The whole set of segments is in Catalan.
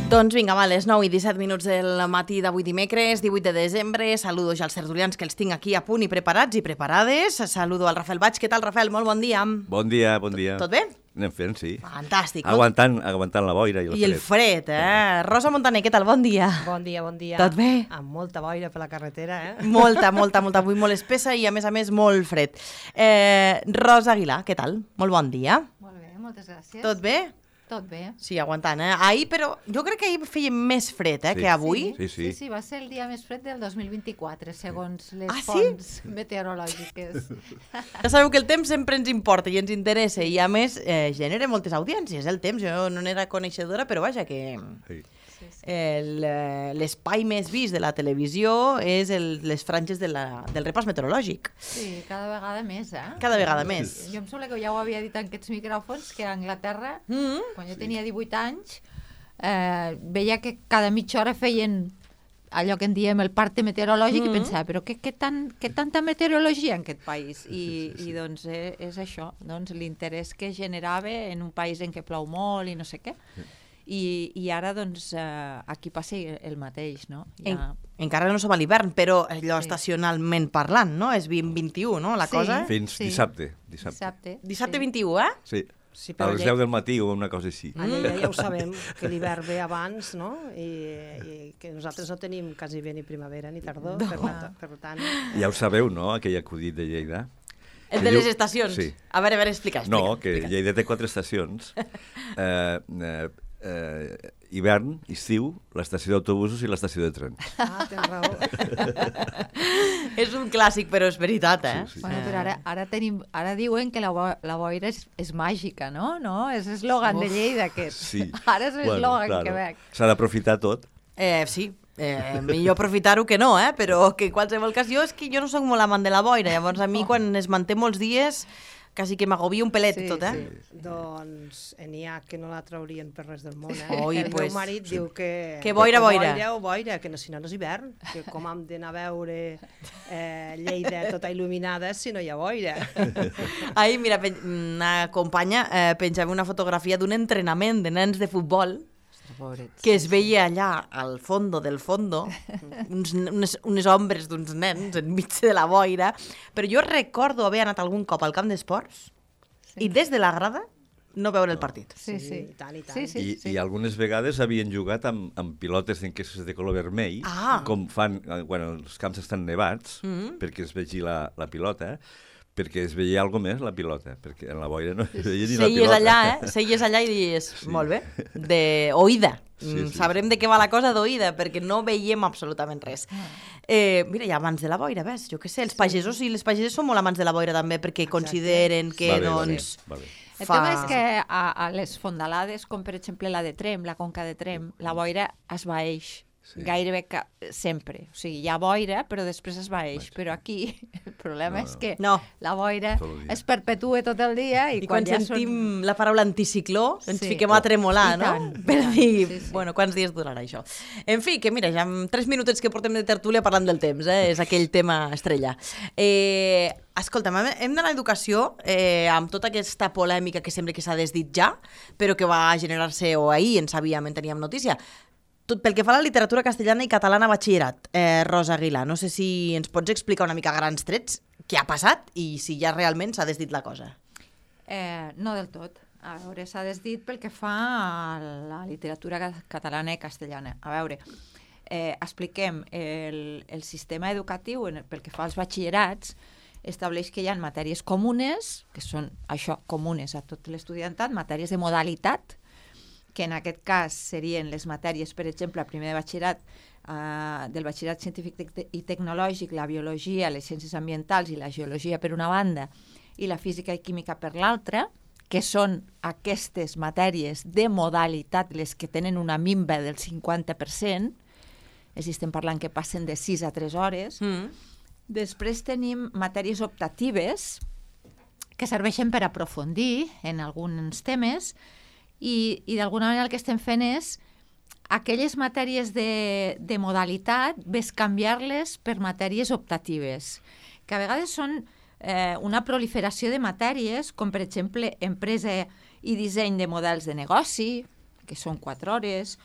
Doncs vinga, va, les 9 i 17 minuts del matí d'avui dimecres, 18 de desembre. Saludo ja als tertulians que els tinc aquí a punt i preparats i preparades. Saludo al Rafael Baig. Què tal, Rafael? Molt bon dia. Bon dia, bon dia. Tot bé? Anem fent, sí. Fantàstic. Aguantant la boira i el fred, Rosa Montaner, què tal? Bon dia. Bon dia, bon dia. Tot bé? Amb molta boira per la carretera, Molta. Avui molt espessa i, a més, molt fred. Rosa Aguilar, què tal? Molt bon dia. Molt bé, moltes gràcies. Tot bé? Tot bé. Sí, aguantant, Ahir, però jo crec que ahir feia més fred, que avui. Sí, va ser el dia més fred del 2024, segons les sí? fonts meteorològiques. Ja sabeu que el temps sempre ens importa i ens interessa i, a més, genera moltes audiències, el temps. Jo no n'era coneixedora, però vaja, que l'espai més vist de la televisió és les franges del repàs meteorològic. Sí, cada vegada més, Cada vegada més. Jo em sembla que ja ho havia dit en aquests micròfons, que a Anglaterra, quan jo tenia 18 anys, veia que cada mitja hora feien allò que en diem el parte meteorològic i pensava, però què tanta meteorologia en aquest país? I doncs és això, doncs l'interès que generava en un país en què plou molt i no sé què. I ara, doncs, aquí passa el mateix, no? Encara no som a l'hivern, però allò estacionalment parlant, no? És 2021, no, la cosa? Fins dissabte. Dissabte 21, Sí. A les 10 del matí o una cosa així. Allà ja ho sabem, que l'hivern ve abans, no? I que nosaltres no tenim quasi bé ni primavera ni tardor, per tant... Ja ho sabeu, no?, aquell acudit de Lleida. El de les estacions. Sí. A veure, explica. No, que Lleida té 4 estacions. Hivern, estiu, l'estació d'autobusos i l'estació de tren. Tens raó. És un clàssic, però és veritat, Sí. Bueno, però ara diuen que la boira és màgica, no? És eslògan de Lleida, aquest. Sí. Ara és eslògan que veig. S'ha d'aprofitar tot. Sí. Millor aprofitar-ho que no, però que en qualsevol cas jo no soc molt amant de la boira, llavors a mi quan es manté molts dies quasi que m'agobia un pelet tot, Sí. Doncs n'hi ha que no la traurien per res del món, El meu marit diu que... Que boira. Boira, que si no és hivern, que com hem d'anar a veure Lleida tota il·luminada si no hi ha boira. Ahir, mira, una companya penjava una fotografia d'un entrenament de nens de futbol que es veia allà al fondo del fondo, unes ombres d'uns nens enmig de la boira, però jo recordo haver anat algun cop al camp d'esports i des de la grada no veure el partit. Sí, i tant. I algunes vegades havien jugat amb pilotes d'enquestes de color vermell, com fan quan els camps estan nevats, perquè es vegi la pilota, perquè es veia alguna més la pilota, perquè en la boira no es veia ni la pilota. Seies allà i dius, molt bé, d'oïda. Sabrem de què va la cosa d'oïda, perquè no veiem absolutament res. Mira, ja abans de la boira, ves, jo què sé, els pagesos i les pageses són molt amants de la boira també, perquè consideren que, doncs... El tema és que a les fondalades, com per exemple la de Tremp, la conca de Tremp, la boira esvaeix. Gairebé sempre. O sigui, hi ha boira, però després es vaeix. Però aquí el problema és que la boira es perpetue tot el dia i quan sentim la paraula anticicló ens fiquem a tremolar, no? Per dir, bueno, quants dies durarà això? En fi, que mira, ja en 3 minutets que portem de tertúlia parlant del temps, és aquell tema estrella. Escolta'm, hem d'anar a educació amb tota aquesta polèmica que sembla que s'ha desdit ja, però que va generar-se, o ahir en sabíem, en teníem notícia, tot pel que fa a la literatura castellana i catalana a batxillerat. Rosa Aguilar, no sé si ens pots explicar una mica a grans trets què ha passat i si ja realment s'ha desdit la cosa. No del tot. A veure, s'ha desdit pel que fa a la literatura catalana i castellana. A veure, expliquem, el sistema educatiu pel que fa als batxillerats estableix que hi ha matèries comunes, que són això, comunes a tot l'estudiantat, matèries de modalitat, que en aquest cas serien les matèries, per exemple, a primer de batxillerat, del batxillerat científic i tecnològic, la biologia, les ciències ambientals i la geologia per una banda, i la física i química per l'altra, que són aquestes matèries de modalitat, les que tenen una minva del 50%, és a dir, estem parlant que passen de 6 a 3 hores. Després tenim matèries optatives, que serveixen per aprofundir en alguns temes, i d'alguna manera el que estem fent és aquelles matèries de modalitat bescanviar-les per matèries optatives, que a vegades són una proliferació de matèries, com per exemple empresa i disseny de models de negoci, que són 4 hores,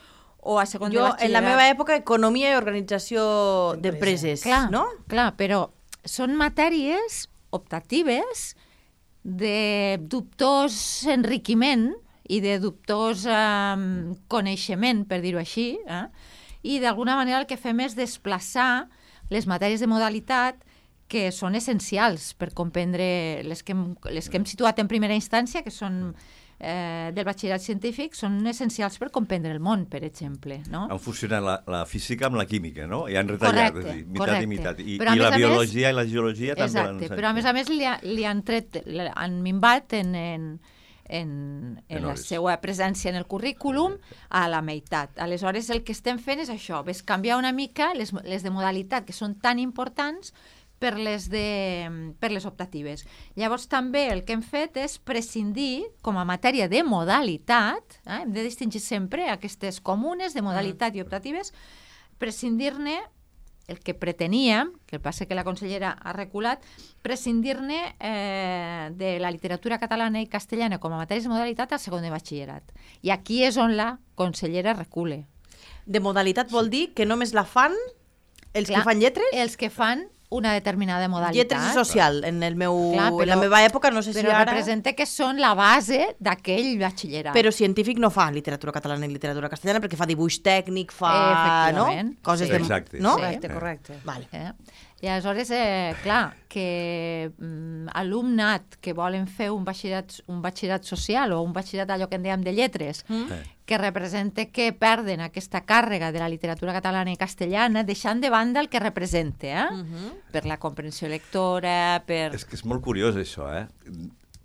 o a segon de batxillerat. En la meva època, economia i organització d'empreses, no? Clar, però són matèries optatives de dubtós enriquiment i de dubtós coneixement, per dir-ho així, i d'alguna manera el que fem és desplaçar les matèries de modalitat que són essencials per comprendre les que hem situat en primera instància, que són del batxillerat científic, són essencials per comprendre el món, per exemple. No? Han fusionat la física amb la química, no? I han retallat, correcte. I mitat. I la biologia i la geologia també l'han ensenyat. Però a més li han tret, han minvat en la seva presència en el currículum a la meitat. Aleshores, el que estem fent és això, és canviar una mica les de modalitat, que són tan importants, per les optatives. Llavors també el que hem fet és prescindir, com a matèria de modalitat, hem de distingir sempre aquestes comunes de modalitat i optatives, prescindir-ne, el que preteníem, que passa que la consellera ha reculat, prescindir-ne de la literatura catalana i castellana com a matèries de modalitat al segon de batxillerat. I aquí és on la consellera recule. De modalitat vol dir que només la fan els que fan lletres? Els que fan una determinada modalitat. Lletres i social, en la meva època, no sé si ara... Però representa que són la base d'aquell batxillerat. Però científic no fa literatura catalana i literatura castellana, perquè fa dibuix tècnic, fa... no? Coses de... Exacte. No? Correcte. Vale. I aleshores, clar, que alumnat que volen fer un batxillerat social o un batxillerat allò que en dèiem de lletres, que representa que perden aquesta càrrega de la literatura catalana i castellana, deixant de banda el que representa, per la comprensió lectora, per... És que és molt curiós això,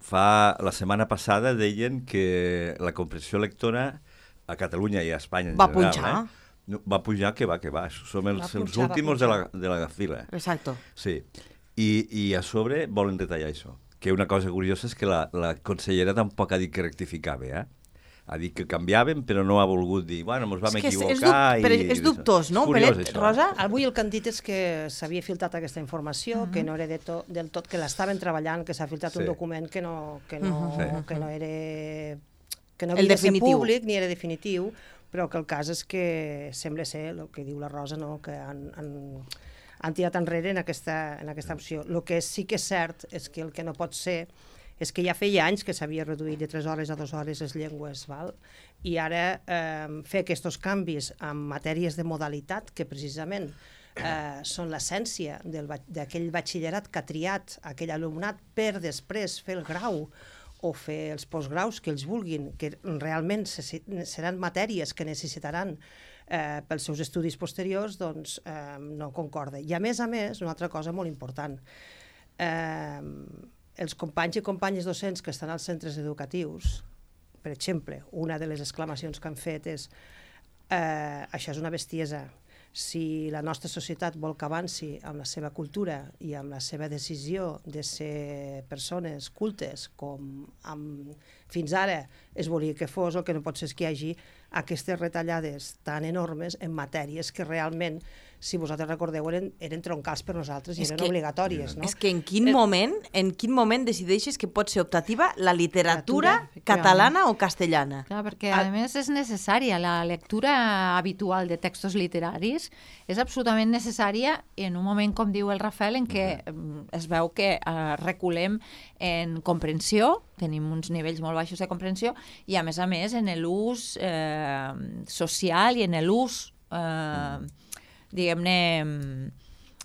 La setmana passada deien que la comprensió lectora a Catalunya i a Espanya en general... Va punxar. Va pujar, que va. Som els últims de la fila. Exacto. Sí. I a sobre volen detallar això. Que una cosa curiosa és que la consellera tampoc ha dit que rectificava, Ha dit que canviaven, però no ha volgut dir, bueno, ens vam equivocar... Però és dubtós, no, Pelet, Rosa? Avui el que han dit és que s'havia filtrat aquesta informació, que no era del tot, que l'estaven treballant, que s'ha filtrat un document que no era... que no havia de ser públic ni era definitiu, però que el cas és que sembla ser el que diu la Rosa, no? Que han tirat enrere en aquesta opció. El que sí que és cert és que el que no pot ser és que ja feia anys que s'havia reduït de 3 hores a 2 hores les llengües, i ara fer aquests canvis en matèries de modalitat, que precisament són l'essència d'aquell batxillerat que ha triat aquell alumnat per després fer el grau o fer els postgraus que ells vulguin, que realment seran matèries que necessitaran pels seus estudis posteriors, doncs no concorda. I a més, una altra cosa molt important. Els companys i companyes docents que estan als centres educatius, per exemple, una de les exclamacions que han fet és això és una bestiesa. Si la nostra societat vol que avanci amb la seva cultura i amb la seva decisió de ser persones cultes, com fins ara es volia que fos, el que no pot ser és que hi hagi aquestes retallades tan enormes en matèries que realment, si vosaltres recordeu, eren troncals per nosaltres i eren obligatòries. No? És que en quin moment decideixes que pot ser optativa la literatura catalana o castellana? Clar, perquè a més és necessària. La lectura habitual de textos literaris és absolutament necessària en un moment, com diu el Rafael, en què es veu que reculem en comprensió, tenim uns nivells molt baixos de comprensió, i a més en l'ús social i en l'ús diguem-ne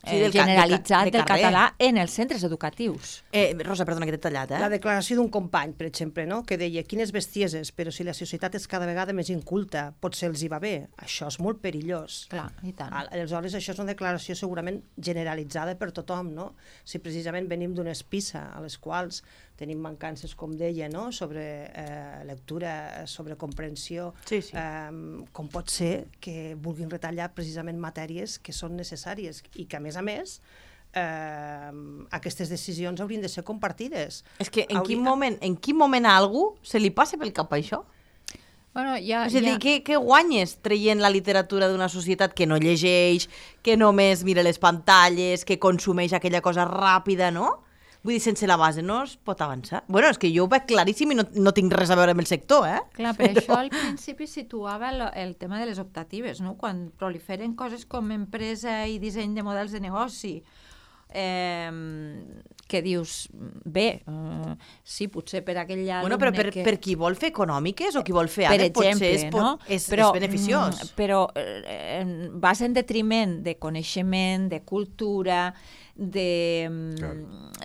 generalitzat del català en els centres educatius. Rosa, perdona que t'he tallat. La declaració d'un company, per exemple, que deia quines bestieses, però si la societat és cada vegada més inculta, potser els hi va bé. Això és molt perillós. Clar, i tant. Aleshores, això és una declaració segurament generalitzada per tothom, no? Si precisament venim d'unes PISA a les quals tenim mancances, com deia, no? Sobre lectura, sobre comprensió. Sí. Com pot ser que vulguin retallar precisament matèries que són necessàries i que, a més, aquestes decisions haurien de ser compartides. És que en quin moment a algú se li passa pel cap això? Bueno, és a dir, què guanyes traient la literatura d'una societat que no llegeix, que només mira les pantalles, que consumeix aquella cosa ràpida, no? Vull dir, sense la base no es pot avançar. Bueno, és que jo ho veig claríssim i no tinc res a veure amb el sector, Clar, per això al principi situava el tema de les optatives, no? Quan proliferen coses com empresa i disseny de models de negoci, que dius, bé, sí, potser per aquell alumne però per qui vol fer econòmiques o qui vol fer per exemple, potser és beneficiós. Però vas en detriment de coneixement, de cultura,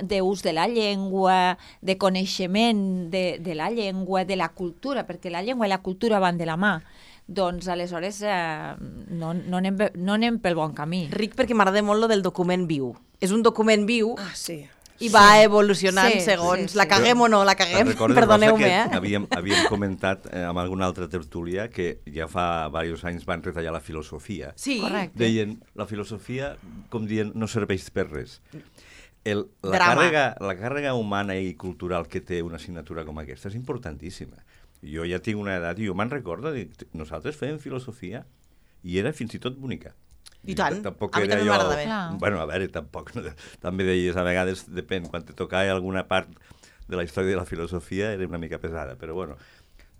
d'ús de la llengua, de coneixement de la llengua, de la cultura, perquè la llengua i la cultura van de la mà. Doncs aleshores no anem pel bon camí. Ric, perquè m'agrada molt lo del document viu. És un document viu i va evolucionant segons la caguem o no la caguem. Perdoneu-me. Havíem comentat amb alguna altra tertúlia que ja fa diversos anys van retallar la filosofia. Sí, correcte. Deien, la filosofia, com dient, no serveix per res. La càrrega humana i cultural que té una assignatura com aquesta és importantíssima. Jo ja tinc una edat i jo me'n recordo, nosaltres fèiem filosofia i era fins i tot bonica. I tant, a mi també m'agrada bé. Bueno, a veure, tampoc, també deies, a vegades depèn, quan te tocava alguna part de la història de la filosofia era una mica pesada, però bueno,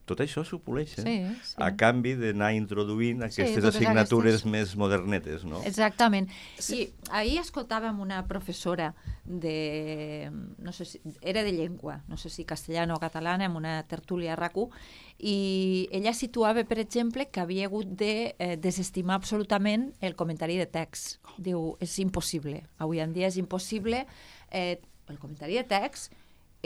tot això s'ho poleix, a canvi d'anar introduint aquestes assignatures més modernetes, no? Exactament. I ahir escoltàvem una professora no sé si, era de llengua, no sé si castellana o catalana, en una tertúlia a RAC1, i ella situava, per exemple, que havia hagut de desestimar absolutament el comentari de text. Diu, és impossible. Avui en dia és impossible. El comentari de text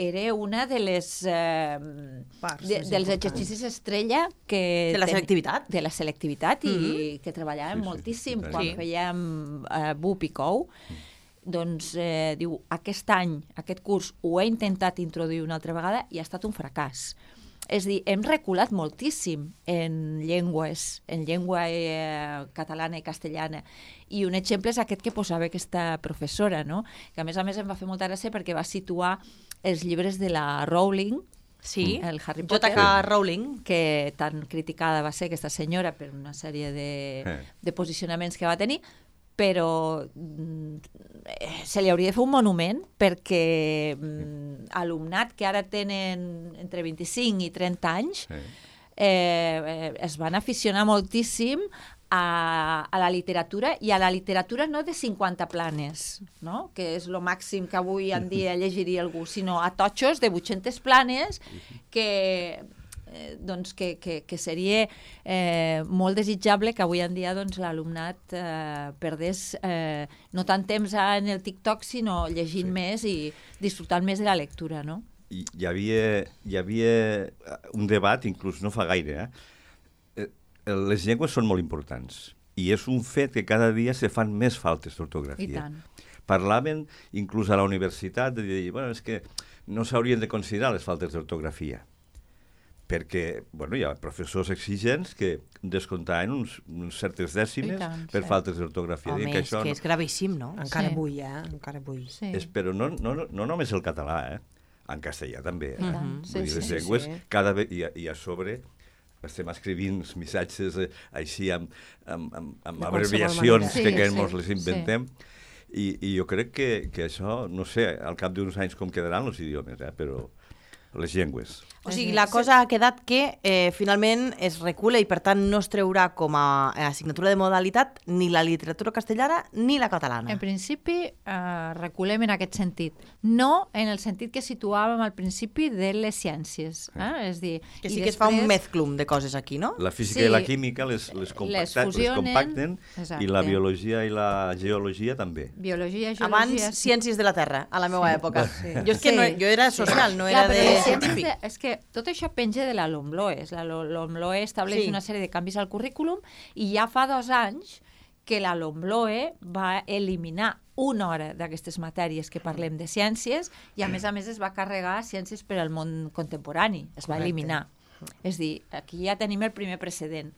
era una de les dels exercicis estrella de la selectivitat. De la selectivitat i que treballàvem moltíssim quan fèiem BUP i COU. Doncs diu, aquest any, aquest curs, ho he intentat introduir una altra vegada i ha estat un fracàs. És a dir, hem reculat moltíssim en llengua catalana i castellana. I un exemple és aquest que posava aquesta professora, no? Que a més em va fer molta gràcia perquè va situar els llibres de la Rowling, el Harry Potter, J.K. Rowling, que tan criticada va ser aquesta senyora per una sèrie de posicionaments que va tenir, però se li hauria de fer un monument perquè alumnat que ara tenen entre 25 i 30 anys es van aficionar moltíssim a la literatura, i a la literatura no de 50 planes, no? Que és el màxim que avui en dia llegiria algú, sinó a totxos de 800 planes que seria molt desitjable que avui en dia l'alumnat perdés no tant temps en el TikTok, sinó llegint més i disfrutant més de la lectura, no? Hi havia un debat, inclús no fa gaire, les llengües són molt importants i és un fet que cada dia se fan més faltes d'ortografia. I tant. Parlaven inclús a la universitat de dir, bueno, és que no s'haurien de considerar les faltes d'ortografia, perquè hi ha professors exigents que descomptaven uns certes dècimes per faltes d'ortografia. Home, és que és gravíssim, no? Encara avui, encara avui. Però no només el català, en castellà també. Les llengües, cada vegada, i a sobre estem escrivint missatges així amb abreviacions que ens les inventem, i jo crec que això, no sé, al cap d'uns anys com quedaran els idiomes, però les llengües. O sigui, la cosa ha quedat que finalment es recula i per tant no es treurà com a assignatura de modalitat ni la literatura castellana ni la catalana. En principi reculem en aquest sentit. No en el sentit que situàvem al principi de les ciències. És dir, que sí que es fa un mezclum de coses aquí, no? La física i la química les compacten i la biologia i la geologia també. Biologia, geologia... Abans ciències de la Terra, a la meva època. Jo és que jo era social, no era de científic. És que tot això penja de la LOMLOE. La LOMLOE estableix una sèrie de canvis al currículum i ja fa 2 anys que la LOMLOE va eliminar una hora d'aquestes matèries que parlem de ciències i a més es va carregar ciències per al món contemporani. Es va eliminar. És dir, aquí ja tenim el primer precedent.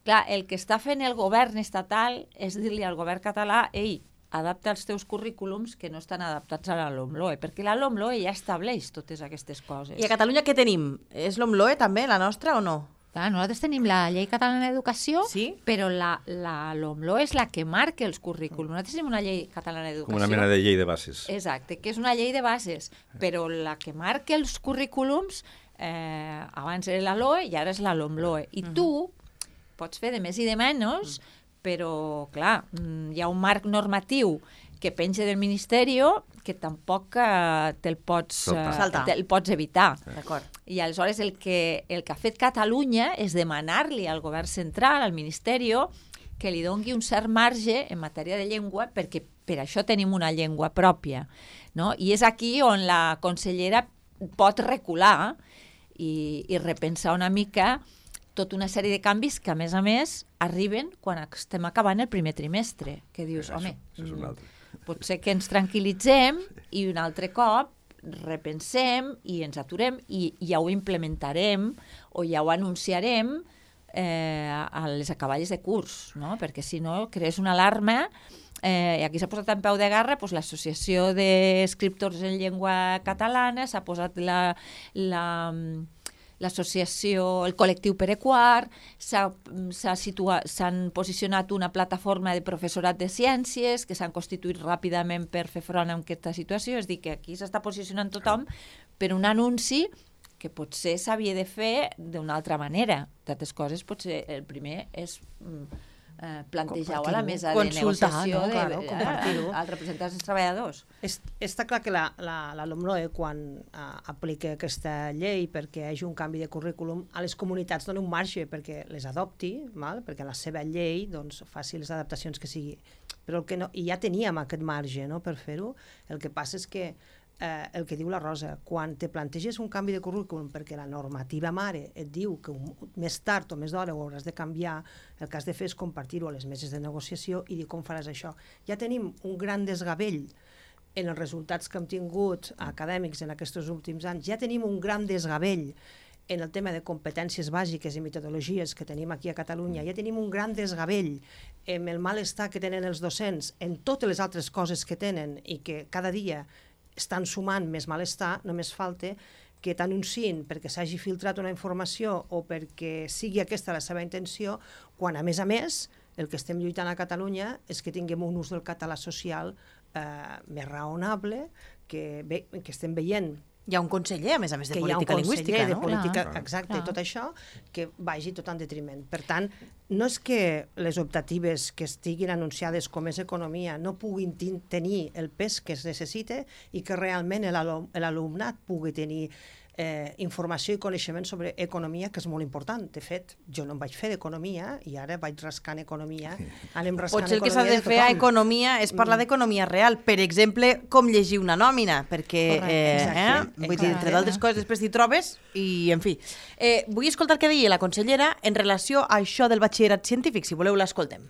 Clar, el que està fent el govern estatal és dir-li al govern català, ei, adapta els teus currículums que no estan adaptats a la LOMLOE, perquè la LOMLOE ja estableix totes aquestes coses. I a Catalunya què tenim? És LOMLOE també, la nostra, o no? Nosaltres tenim la Llei Catalana d'Educació, però la LOMLOE és la que marca els currículums. Nosaltres tenim una Llei Catalana d'Educació. Com una mena de llei de bases. Exacte, que és una llei de bases, però la que marca els currículums abans era la LOE i ara és la LOMLOE. I tu pots fer de més i de menys, però, clar, hi ha un marc normatiu que penja del Ministeri que tampoc te'l pots evitar. I aleshores el que ha fet Catalunya és demanar-li al govern central, al Ministeri, que li doni un cert marge en matèria de llengua, perquè per això tenim una llengua pròpia. No? I és aquí on la consellera pot recular i repensar una mica tota una sèrie de canvis que, a més, arriben quan estem acabant el primer trimestre. Que dius, home, potser que ens tranquil·litzem i un altre cop repensem i ens aturem i ja ho implementarem o ja ho anunciarem a les acaballes de curs, no? Perquè si no crees una alarma i aquí s'ha posat en peu de guerra l'associació d'escriptors en llengua catalana, s'ha posat l'associació, el col·lectiu Perequart, s'han posicionat una plataforma de professorat de ciències que s'han constituït ràpidament per fer front a aquesta situació. És a dir, que aquí s'està posicionant tothom per un anunci que potser s'havia de fer d'una altra manera. D'altres coses, potser el primer és plantejar-ho a la mesa de negociació als representants dels treballadors. Està clar que la LOMLOE, quan aplica aquesta llei perquè hi hagi un canvi de currículum, a les comunitats dona un marge perquè les adopti, perquè la seva llei faci les adaptacions que sigui. Però i ja teníem aquest marge per fer-ho. El que passa és que el que diu la Rosa, quan te planteges un canvi de currículum perquè la normativa mare et diu que més tard o més d'hora ho hauràs de canviar, el que has de fer és compartir-ho a les meses de negociació i dir com faràs això. Ja tenim un gran desgavell en els resultats que hem tingut acadèmics en aquests últims anys, ja tenim un gran desgavell en el tema de competències bàsiques i metodologies que tenim aquí a Catalunya, ja tenim un gran desgavell en el malestar que tenen els docents en totes les altres coses que tenen i que cada dia estan sumant més malestar. Només falta que t'anunciïn perquè s'hagi filtrat una informació o perquè sigui aquesta la seva intenció, quan a més el que estem lluitant a Catalunya és que tinguem un ús del català social més raonable, que estem veient. Hi ha un conseller, a més de política lingüística, no? De política, exacte, i tot això, que vagi tot en detriment. Per tant, no és que les optatives que estiguin anunciades com és economia no puguin tenir el pes que es necessita i que realment l'alumnat pugui tenir informació i coneixement sobre economia, que és molt important. De fet, jo no em vaig fer d'economia i ara vaig rascant economia. Potser el que s'ha de fer a economia és parlar d'economia real. Per exemple, com llegir una nòmina, perquè, vull dir, entre d'altres coses, després t'hi trobes i, en fi. Vull escoltar què deia la consellera en relació a això del batxillerat científic. Si voleu, l'escoltem.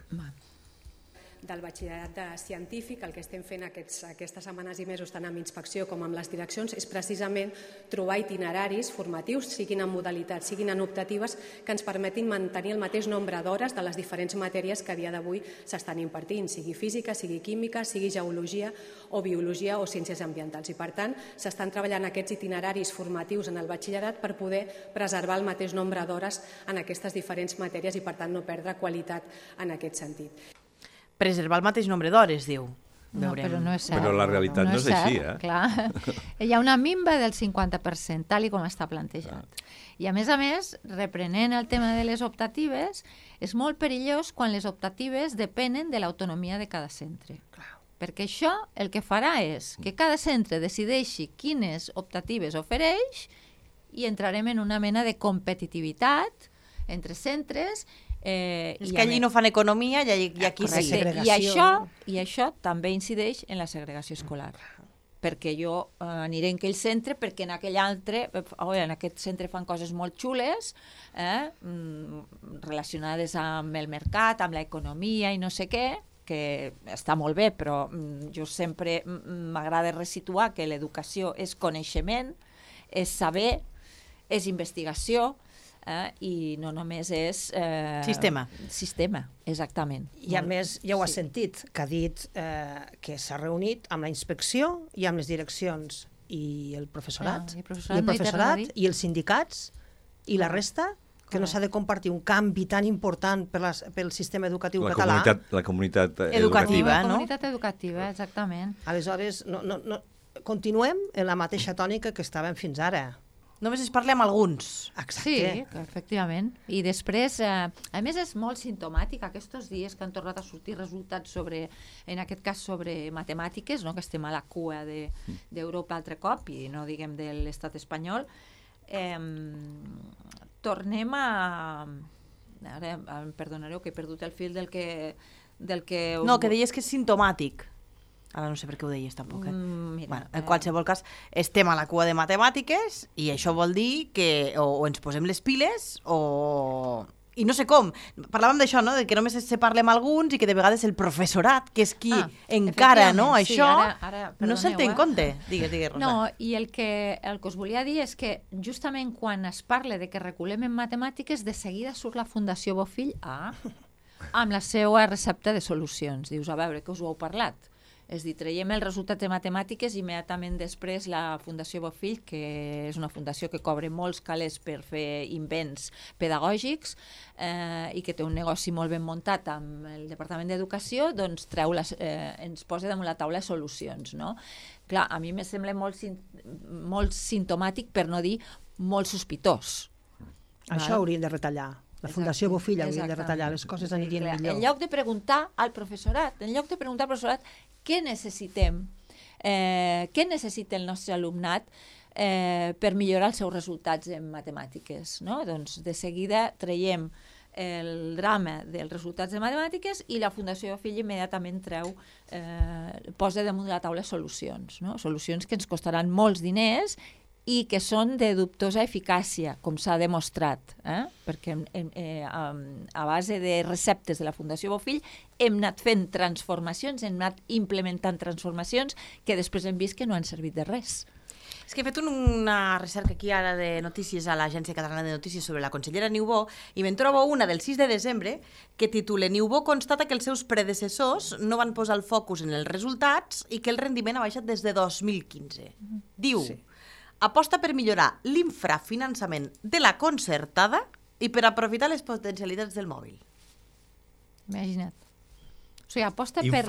Del batxillerat científic, el que estem fent aquestes setmanes i mesos tant amb inspecció com amb les direccions és precisament trobar itineraris formatius, siguin en modalitats, siguin en optatives, que ens permetin mantenir el mateix nombre d'hores de les diferents matèries que a dia d'avui s'estan impartint, sigui física, sigui química, sigui geologia o biologia o ciències ambientals. I per tant, s'estan treballant aquests itineraris formatius en el batxillerat per poder preservar el mateix nombre d'hores en aquestes diferents matèries i per tant no perdre qualitat en aquest sentit. Preservar el mateix nombre d'hores, diu. No, però no és cert. Però la realitat no és així, Clar. Hi ha una minva del 50%, tal com està plantejat. I a més, reprenent el tema de les optatives, és molt perillós quan les optatives depenen de l'autonomia de cada centre. Perquè això el que farà és que cada centre decideixi quines optatives ofereix i entrarem en una mena de competitivitat entre centres. És que allí no fan economia i aquí sí. I això també incideix en la segregació escolar. Perquè jo aniré en aquell centre perquè en aquell altre, en aquest centre fan coses molt xules relacionades amb el mercat, amb l'economia i no sé què, que està molt bé, però jo sempre m'agrada resituar que l'educació és coneixement, és saber, és investigació, i no només és... Sistema, exactament. I a més, ja ho has sentit, que ha dit que s'ha reunit amb la inspecció i amb les direccions i el professorat, i els sindicats, i la resta, que no s'ha de compartir un canvi tan important pel sistema educatiu català. La comunitat educativa, no? La comunitat educativa, exactament. Aleshores, continuem en la mateixa tònica que estàvem fins ara. Només es parla amb alguns. Exacte. Sí, efectivament. I després, a més, és molt simptomàtic aquests dies que han tornat a sortir resultats sobre, en aquest cas, sobre matemàtiques, no? Que estem a la cua d'Europa altre cop, i no diguem de l'estat espanyol. Tornem a... Ara em perdonareu que he perdut el fil del que... No, que deies que és simptomàtic. Ara no sé per què ho deies tampoc. En qualsevol cas, estem a la cua de matemàtiques i això vol dir que o ens posem les piles o... I no sé com. Parlàvem d'això, no? De que només se parla amb alguns i que de vegades el professorat, que és qui encara, no? Això no se'l té en compte. Digues, Rosa. No, i el que us volia dir és que justament quan es parla de que reculem en matemàtiques, de seguida surt la Fundació Bofill amb la seva recepta de solucions. Dius, a veure, que us ho heu parlat? És dir, traiem els resultats de matemàtiques i immediatament després la Fundació Bofill, que és una fundació que cobra molts calés per fer invents pedagògics i que té un negoci molt ben muntat amb el Departament d'Educació, doncs ens posa damunt la taula solucions, no? Clar, a mi me sembla molt simptomàtic, per no dir molt sospitós. Això hauríem de retallar. La Fundació Bofill hauria de retallar, les coses anirien millor. En lloc de preguntar al professorat, què necessitem, què necessita el nostre alumnat per millorar els seus resultats en matemàtiques, no? Doncs de seguida traiem el drama dels resultats de matemàtiques i la Fundació Bofill immediatament posa damunt de la taula solucions, no? Solucions que ens costaran molts diners i que són de dubtosa eficàcia, com s'ha demostrat, perquè a base de receptes de la Fundació Bofill hem anat fent transformacions, hem anat implementant transformacions que després hem vist que no han servit de res. És que he fet una recerca aquí ara de notícies a l'Agència Catalana de Notícies sobre la consellera Niubó i me'n trobo una del 6 de desembre que titula Niubó constata que els seus predecessors no van posar el focus en els resultats i que el rendiment ha baixat des de 2015. Diu... Sí. Aposta per millorar l'infrafinançament de la concertada i per aprofitar les potencialitats del mòbil. Imagina't. O sigui, aposta per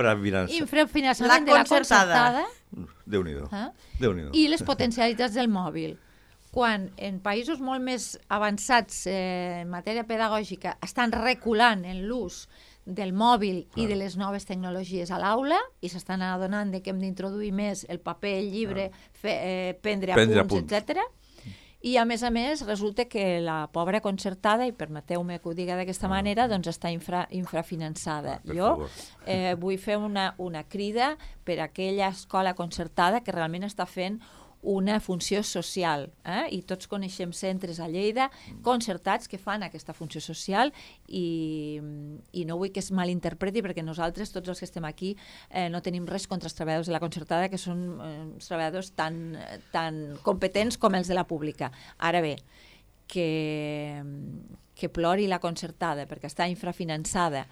infrafinançament de la concertada. Déu-n'hi-do. I les potencialitats del mòbil. Quan en països molt més avançats en matèria pedagògica estan reculant en l'ús del mòbil i de les noves tecnologies a l'aula i s'estan adonant que hem d'introduir més el paper, el llibre, prendre apunts, etc. I a més resulta que la pobra concertada, i permeteu-me que ho digui d'aquesta manera, doncs està infrafinançada. Jo vull fer una crida per a aquella escola concertada que realment està fent una funció social, i tots coneixem centres a Lleida concertats que fan aquesta funció social i no vull que es malinterpreti perquè nosaltres, tots els que estem aquí, no tenim res contra els treballadors de la concertada, que són treballadors tan competents com els de la pública. Ara bé, que plori la concertada perquè està infrafinançada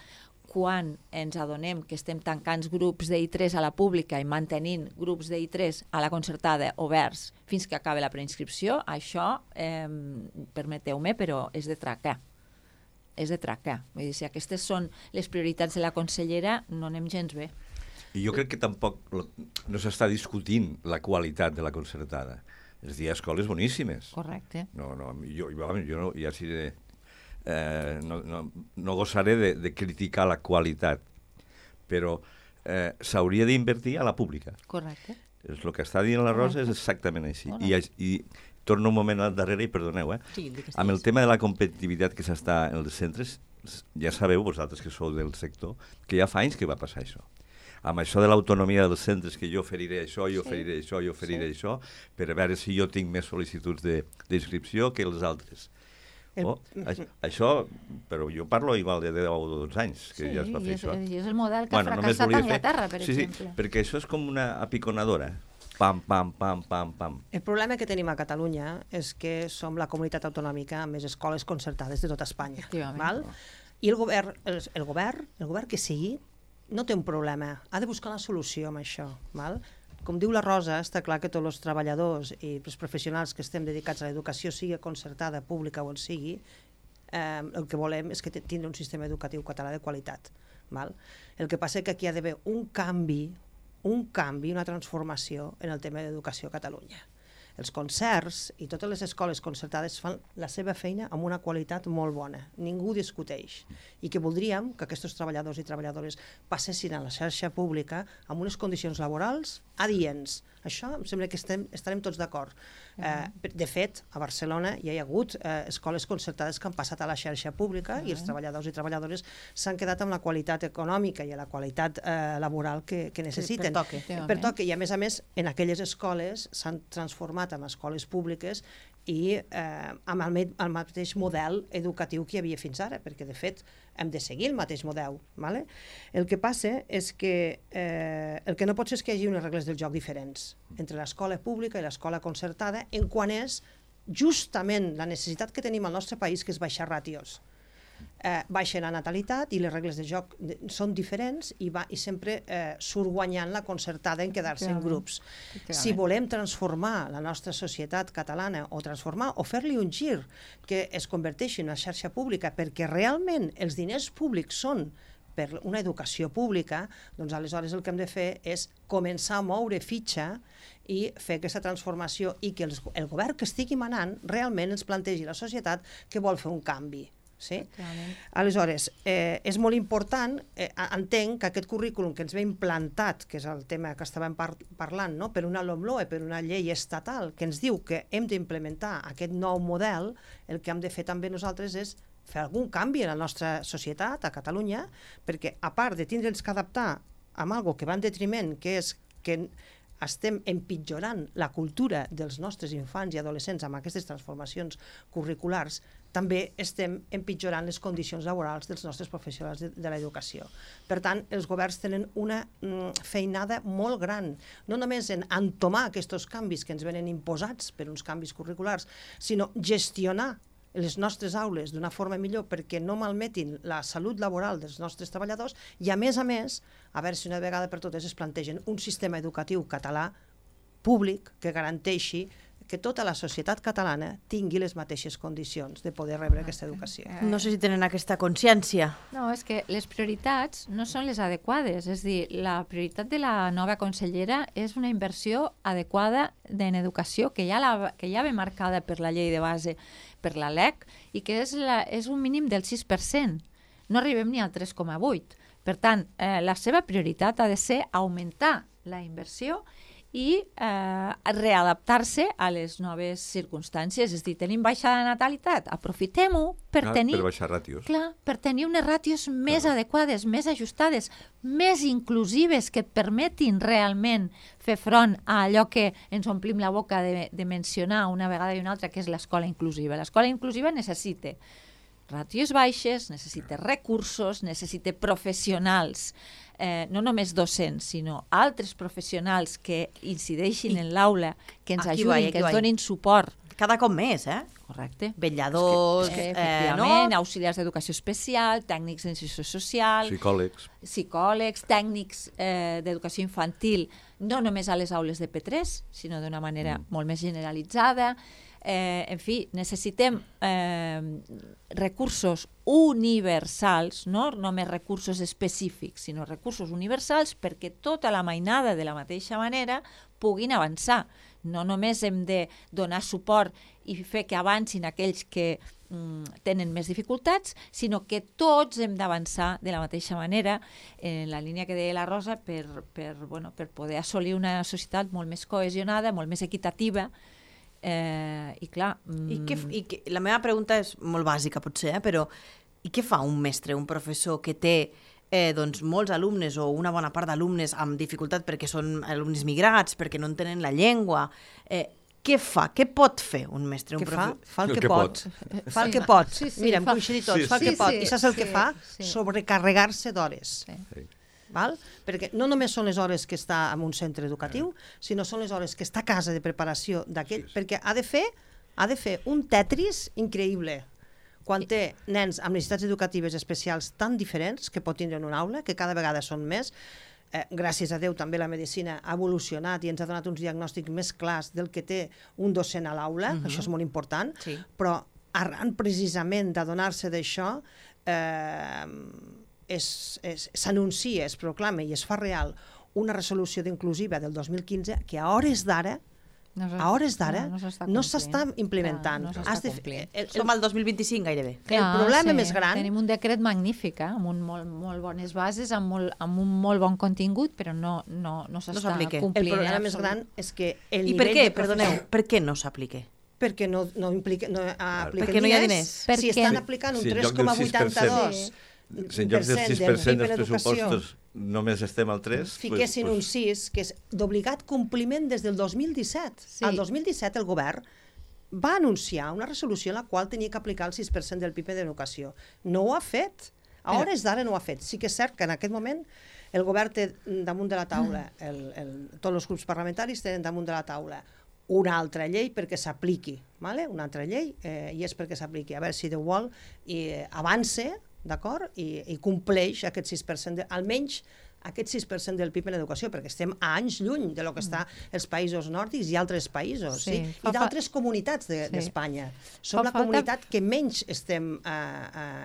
quan ens adonem que estem tancant grups d'I3 a la pública i mantenint grups d'I3 a la concertada oberts fins que acabi la preinscripció, això, permeteu-me, però és de tracar. És de tracar. Vull dir, si aquestes són les prioritats de la consellera, no anem gens bé. I jo crec que tampoc no s'està discutint la qualitat de la concertada. És a dir, hi ha escoles boníssimes. Correcte. Jo ja sí no gosaré de criticar la qualitat, però s'hauria d'invertir a la pública. Correcte. És el que està dient la Rosa, és exactament així. I torno un moment al darrere i perdoneu, amb el tema de la competitivitat que s'està en els centres, ja sabeu vosaltres que sou del sector, que ja fa anys que va passar això. Amb això de l'autonomia dels centres, que jo oferiré això, jo oferiré això, jo oferiré això, per a veure si jo tinc més sol·licituds d'inscripció que els altres. Això, però jo parlo igual de 10 o 12 anys que ja es va fer això. Sí, és el model que ha fracassat a Anglaterra, per exemple. Sí, perquè això és com una apiconadora. Pam, pam, pam, pam, pam. El problema que tenim a Catalunya és que som la comunitat autonòmica amb més escoles concertades de tota Espanya. Val? I el govern que sigui, no té un problema. Ha de buscar una solució amb això. Val? Com diu la Rosa, està clar que tots els treballadors i els professionals que estem dedicats a l'educació, sigui concertada, pública o on sigui, el que volem és que tindre un sistema educatiu català de qualitat. Val? El que passa és que aquí hi ha d'haver un canvi, una transformació en el tema d'educació a Catalunya. Els concerts i totes les escoles concertades fan la seva feina amb una qualitat molt bona, ningú discuteix, i que voldríem que aquests treballadors i treballadores passessin a la xarxa pública amb unes condicions laborals adients. Això em sembla que estarem tots d'acord. De fet, a Barcelona ja hi ha hagut escoles concertades que han passat a la xarxa pública i els treballadors i treballadores s'han quedat amb la qualitat econòmica i la qualitat laboral que necessiten. Per toque. I a més, en aquelles escoles s'han transformat en escoles públiques i amb el mateix model educatiu que hi havia fins ara, perquè de fet hem de seguir el mateix model. Vale? El que passa és que el que no pot ser és que hi hagi unes regles del joc diferents entre l'escola pública i l'escola concertada en quan és justament la necessitat que tenim al nostre país, que és baixar ràtios. Baixa la natalitat i les regles de joc són diferents i sempre surt guanyant la concertada en quedar-se en grups. Si volem transformar la nostra societat catalana o fer-li un gir que es converteixi en una xarxa pública perquè realment els diners públics són per una educació pública, doncs aleshores el que hem de fer és començar a moure fitxa i fer aquesta transformació i que el govern que estigui manant realment ens plantegi la societat que vol fer un canvi. Sí? Aleshores, és molt important, entenc que aquest currículum que ens ve implantat, que és el tema que estàvem parlant, no? Per una LOMLOE, per una llei estatal, que ens diu que hem d'implementar aquest nou model, el que hem de fer també nosaltres és fer algun canvi en la nostra societat, a Catalunya, perquè a part de tindre'ns que adaptar amb algo que va en detriment, que és que estem empitjorant la cultura dels nostres infants i adolescents amb aquestes transformacions curriculars, també estem empitjorant les condicions laborals dels nostres professionals de l'educació. Per tant, els governs tenen una feinada molt gran, no només en entomar aquests canvis que ens venen imposats per uns canvis curriculars, sinó gestionar les nostres aules d'una forma millor perquè no malmetin la salut laboral dels nostres treballadors i, a més, a veure si una vegada per totes es plantegen un sistema educatiu català públic que garanteixi que tota la societat catalana tingui les mateixes condicions de poder rebre aquesta educació. No sé si tenen aquesta consciència. No, és que les prioritats no són les adequades. És dir, la prioritat de la nova consellera és una inversió adequada en educació que ja ve marcada per la llei de base, per la LEC, i que és un mínim del 6%. No arribem ni al 3,8%. Per tant, la seva prioritat ha de ser augmentar la inversió i readaptar-se a les noves circumstàncies. És a dir, tenim baixada de natalitat, aprofitem-ho per tenir... Per baixar ràtios. Clar, per tenir unes ràtios més adequades, més ajustades, més inclusives, que et permetin realment fer front a allò que ens omplim la boca de mencionar una vegada i una altra, que és l'escola inclusiva. L'escola inclusiva necessita ràtios baixes, necessita recursos, necessita professionals, no només docents, sinó altres professionals que incideixin en l'aula, que ens ajudin, que ens donin suport. Cada cop més, Correcte. Vetlladors, efectivament, auxiliars d'educació especial, tècnics d'inserció social, psicòlegs, tècnics d'educació infantil, no només a les aules de P3, sinó d'una manera molt més generalitzada. En fi, necessitem recursos universals, no només recursos específics, sinó recursos universals perquè tota la mainada de la mateixa manera puguin avançar. No només hem de donar suport i fer que avancin aquells que tenen més dificultats, sinó que tots hem d'avançar de la mateixa manera en la línia que deia la Rosa per poder assolir una societat molt més cohesionada, molt més equitativa. I clar... La meva pregunta és molt bàsica, potser, però i què fa un mestre, un professor que té molts alumnes o una bona part d'alumnes amb dificultat perquè són alumnes migrats, perquè no entenen la llengua? Què fa? Què pot fer un mestre? Fa el que pot. Fa el que pot. Mira, hem coincidit tots. Fa el que pot. I saps el que fa? Sobrecarregar-se d'hores. Val? Perquè no només són les hores que està en un centre educatiu, sinó són les hores que està a casa de preparació d'aquell, perquè ha de fer un tetris increïble. Quan té nens amb necessitats educatives especials tan diferents que pot tindre en una aula, que cada vegada són més, gràcies a Déu també la medicina ha evolucionat i ens ha donat uns diagnòstics més clars del que té un docent a l'aula, això és molt important, però arran precisament d'adonar-se d'això, s'anuncia, es proclama i es fa real una resolució d'inclusiva del 2015 que a hores d'ara no s'està implementant. Som al 2025 gairebé. El problema més gran... Tenim un decret magnífic, amb molt bones bases, amb un molt bon contingut, però no s'està complint. El problema més gran és que el nivell... I per què, perdoneu, per què no s'aplica? Perquè no apliquen perquè no hi ha diners. Si estan aplicant un 3,82... Si en lloc del 6% dels pressupostos només estem al 3... Fiquessin un 6, que és d'obligat compliment des del 2017. Sí. Al 2017 el govern va anunciar una resolució en la qual tenia que aplicar el 6% del PIB d'educació. No ho ha fet. A hores d'ara no ho ha fet. Sí que és cert que en aquest moment el govern té damunt de la taula, tots els grups parlamentaris tenen damunt de la taula una altra llei perquè s'apliqui. Una altra llei, i és perquè s'apliqui. A veure si Déu vol avança, d'acord? I compleix aquest 6%, almenys aquest 6% del PIB en educació, perquè estem a anys lluny de lo que està els països nòrdics i altres països, i d'altres comunitats d'Espanya. Som la comunitat que menys estem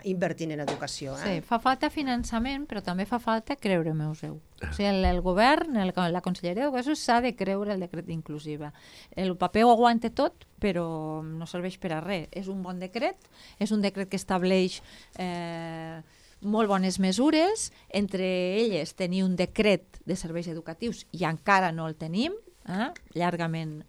invertint en educació. Sí, fa falta finançament, però també fa falta creure-me-us-ho. O sigui, el govern, la Conselleria d'Educació s'ha de creure el decret d'inclusiva. El paper ho aguanta tot, però no serveix per a res. És un bon decret, és un decret que estableix molt bones mesures, entre elles tenir un decret de serveis educatius i encara no el tenim, llargament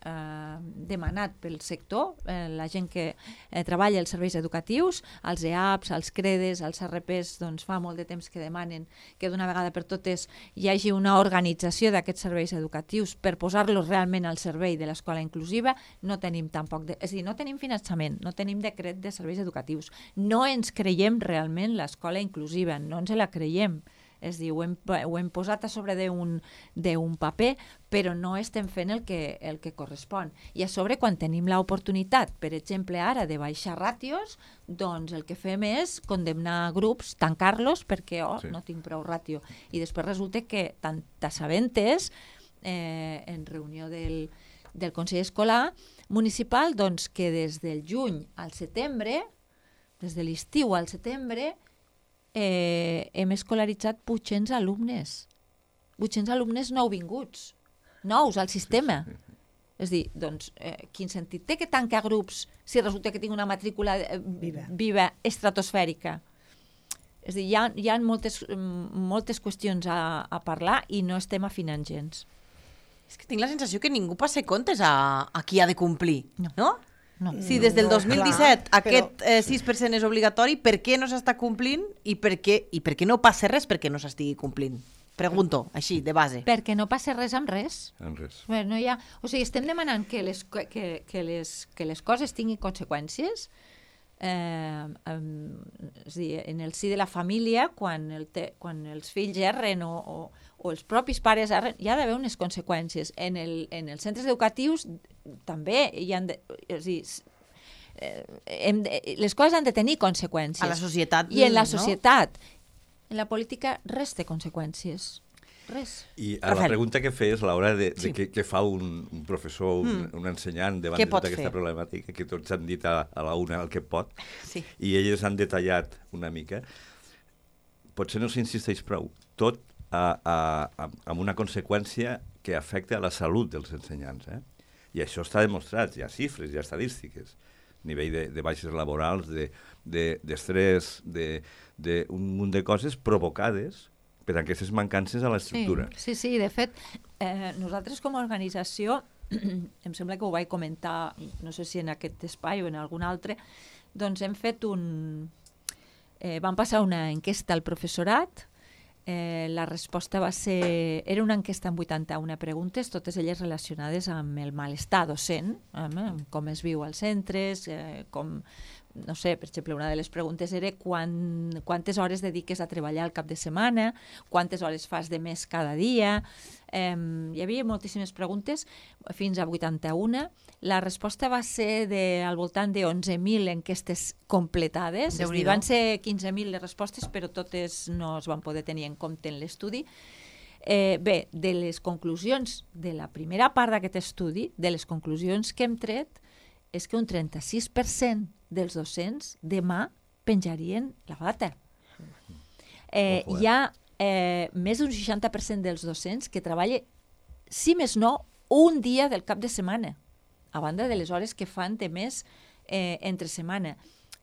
demanat pel sector, la gent que treballa als serveis educatius, els EAPs, els CREDES, els RPs, doncs fa molt de temps que demanen que d'una vegada per totes hi hagi una organització d'aquests serveis educatius per posar-los realment al servei de l'escola inclusiva. No tenim tampoc, és a dir, no tenim finançament, no tenim decret de serveis educatius, no ens creiem realment l'escola inclusiva, no ens la creiem. És a dir, ho hem posat a sobre d'un paper, però no estem fent el que correspon. I a sobre, quan tenim l'oportunitat, per exemple, ara, de baixar ràtios, doncs el que fem és condemnar grups, tancar-los, perquè no tinc prou ràtio. I després resulta que t'assabentes en reunió del Consell Escolar Municipal, doncs que des del juny al setembre, des de l'estiu al setembre, hem escolaritzat 800 alumnes. 800 alumnes nouvinguts, nous al sistema. És a dir, doncs, quin sentit té que tancar grups si resulta que tinc una matrícula viva estratosfèrica? És a dir, hi ha moltes qüestions a parlar i no estem afinant gens. És que tinc la sensació que ningú passa comptes a qui ha de complir, no? Si des del 2017 aquest 6% és obligatori, per què no s'està complint i per què no passa res perquè no s'estigui complint? Pregunto, així, de base. Perquè no passa res amb res. Amb res. No hi ha... O sigui, estem demanant que les coses tinguin conseqüències. És dir, en el si de la família, quan els fills erren o els propis pares erren, hi ha d'haver unes conseqüències. En els centres educatius també hi ha les coses han de tenir conseqüències. A la societat. I en la societat. En la política res té conseqüències. Res. I a la pregunta que feies, Laura, de què fa un professor, un ensenyant davant de tota aquesta problemàtica, que tots han dit a la una el que pot, i elles han detallat una mica, potser no s'insisteix prou. Tot amb una conseqüència que afecta a la salut dels ensenyants. I això està demostrat, hi ha xifres, hi ha estadístiques, nivell de baixes laborals, d'estrès, d'un munt de coses provocades per aquestes mancances a l'estructura. Sí, de fet, nosaltres com a organització, em sembla que ho vaig comentar, no sé si en aquest espai o en algun altre, doncs hem fet vam passar una enquesta al professorat. La resposta va ser... Era una enquesta amb 81 preguntes, totes elles relacionades amb el malestar docent, com es viu als centres, com... No sé, per exemple, una de les preguntes era quantes hores dediques a treballar al cap de setmana, quantes hores fas de més cada dia. Hi havia moltíssimes preguntes, fins a 81. La resposta va ser al voltant de 11.000 enquestes completades. És a dir, van ser 15.000 les respostes, però totes no es van poder tenir en compte en l'estudi. Bé, de les conclusions de la primera part d'aquest estudi, de les conclusions que hem tret, és que un 36% dels docents demà penjarien la bata. Hi ha més d'un 60% dels docents que treballa, si més no, un dia del cap de setmana, a banda de les hores que fan de més entre setmana.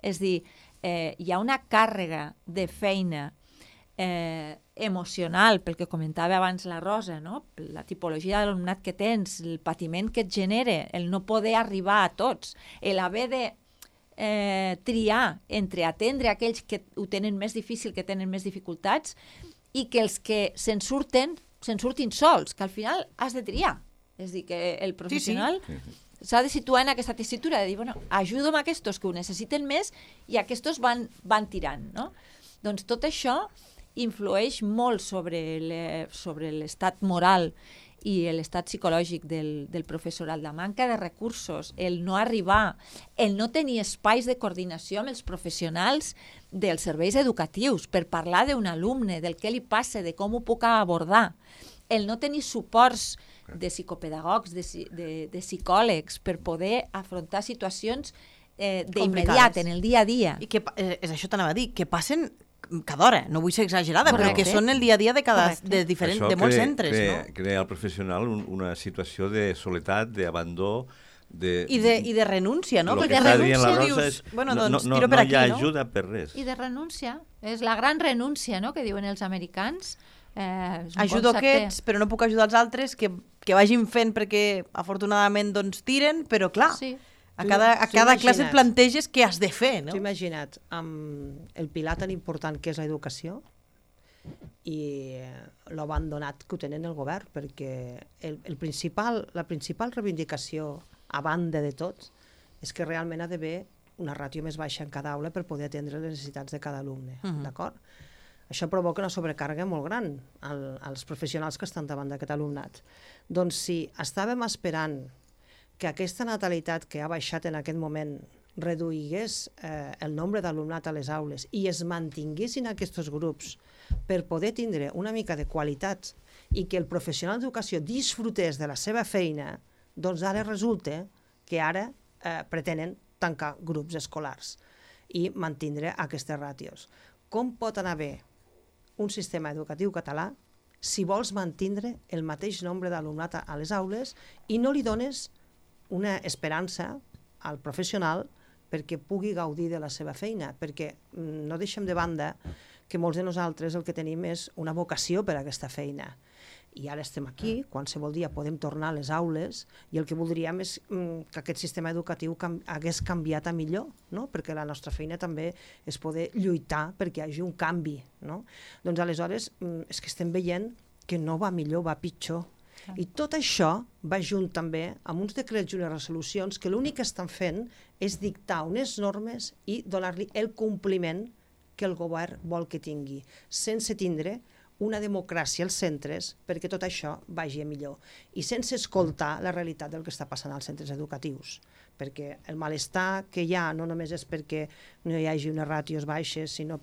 És dir, hi ha una càrrega de feina emocional, pel que comentava abans la Rosa, no? La tipologia de l'alumnat que tens, el patiment que et genera, el no poder arribar a tots, l'haver de triar entre atendre aquells que ho tenen més difícil, que tenen més dificultats, i que els que se'n surtin sols, que al final has de triar. És dir, que el professional s'ha de situar en aquesta tessitura, de dir, bueno, ajuda'm a aquests que ho necessiten més i aquests van tirant, no? Doncs tot això influeix molt sobre l'estat moral i l'estat psicològic del professorat, la manca de recursos, el no arribar, el no tenir espais de coordinació amb els professionals dels serveis educatius per parlar d'un alumne, del que li passa, de com ho puc abordar, el no tenir suports de psicopedagogs, de psicòlegs, per poder afrontar situacions d'immediat, en el dia a dia. I que, és això t'anava a dir, que passen cada hora, no vull ser exagerada, però que són el dia a dia de molts centres. Això crea al professional una situació de soledat, d'abandó, i de renúncia, no? El que està dient la Rosa és no hi ha ajuda per res. I de renúncia, és la gran renúncia, no?, que diuen els americans. Ajudo aquests, però no puc ajudar els altres, que vagin fent perquè afortunadament doncs tiren, però clar, a cada classe et planteges què has de fer, no? T'ho imagina't, amb el pilar tan important que és l'educació i l'abandonat que ho tenen el govern, perquè la principal reivindicació, a banda de tot, és que realment ha d'haver una ràtio més baixa en cada aula per poder atendre les necessitats de cada alumne, d'acord? Això provoca una sobrecàrrega molt gran als professionals que estan davant d'aquest alumnat. Doncs si estàvem esperant que aquesta natalitat que ha baixat en aquest moment reduïgués el nombre d'alumnat a les aules i es mantinguessin aquests grups per poder tindre una mica de qualitat i que el professional d'educació disfrutés de la seva feina, doncs ara resulta que ara pretenen tancar grups escolars i mantindre aquestes ràtios. Com pot anar bé un sistema educatiu català si vols mantindre el mateix nombre d'alumnat a les aules i no li dones una esperança al professional perquè pugui gaudir de la seva feina, perquè no deixem de banda que molts de nosaltres el que tenim és una vocació per a aquesta feina. I ara estem aquí, qualsevol dia podem tornar a les aules i el que voldríem és que aquest sistema educatiu hagués canviat a millor, no? Perquè la nostra feina també és poder lluitar perquè hi hagi un canvi, no? Doncs aleshores és que estem veient que no va millor, va pitjor. I tot això va junt també amb uns decrets i unes resolucions que l'únic que estan fent és dictar unes normes i donar-li el compliment que el govern vol que tingui, sense tindre una democràcia als centres perquè tot això vagi a millor i sense escoltar la realitat del que està passant als centres educatius, perquè el malestar que hi ha no només és perquè no hi hagi unes ràtios baixes, sinó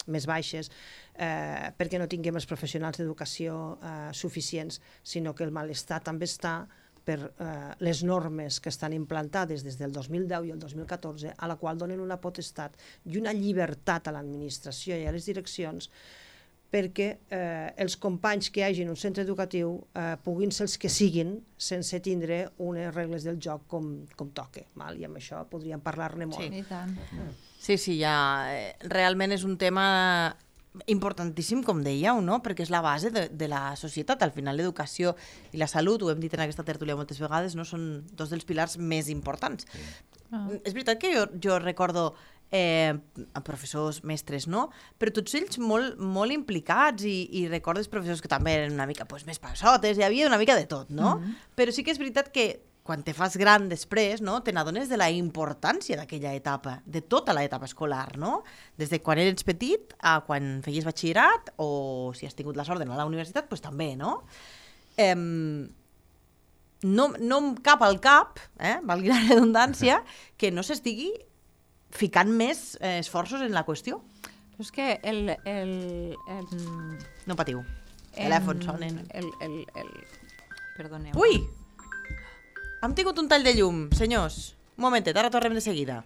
més baixes, perquè no tinguem els professionals d'educació suficients, sinó que el malestar també està per les normes que estan implantades des del 2010 i el 2014, a la qual donen una potestat i una llibertat a l'administració i a les direccions perquè els companys que hi hagi en un centre educatiu puguin ser els que siguin sense tindre unes regles del joc com toca. I amb això podríem parlar-ne molt. Sí, i tant. Sí, realment és un tema importantíssim, com dèieu, no? Perquè és la base de la societat. Al final l'educació i la salut, ho hem dit en aquesta tertúlia moltes vegades, no? Són dos dels pilars més importants. És veritat que jo recordo professors, mestres, no? Però tots ells molt implicats i recordes professors que també eren una mica més passotes, hi havia una mica de tot, no? Però sí que és veritat que quan te fas gran després, no, te n'adones de la importància d'aquella etapa, de tota l'etapa escolar, no? Des de quan eres petit a quan feies batxillerat o si has tingut la sort d'anar a la universitat, doncs també, no? No em cap al cap, valgui la redundància, que no s'estigui ficant més esforços en la qüestió. Però és que No patiu. Telèfons sonen. Perdoneu. Ui! Hem tingut un tall de llum, senyors. Un momentet, ara tornem de seguida.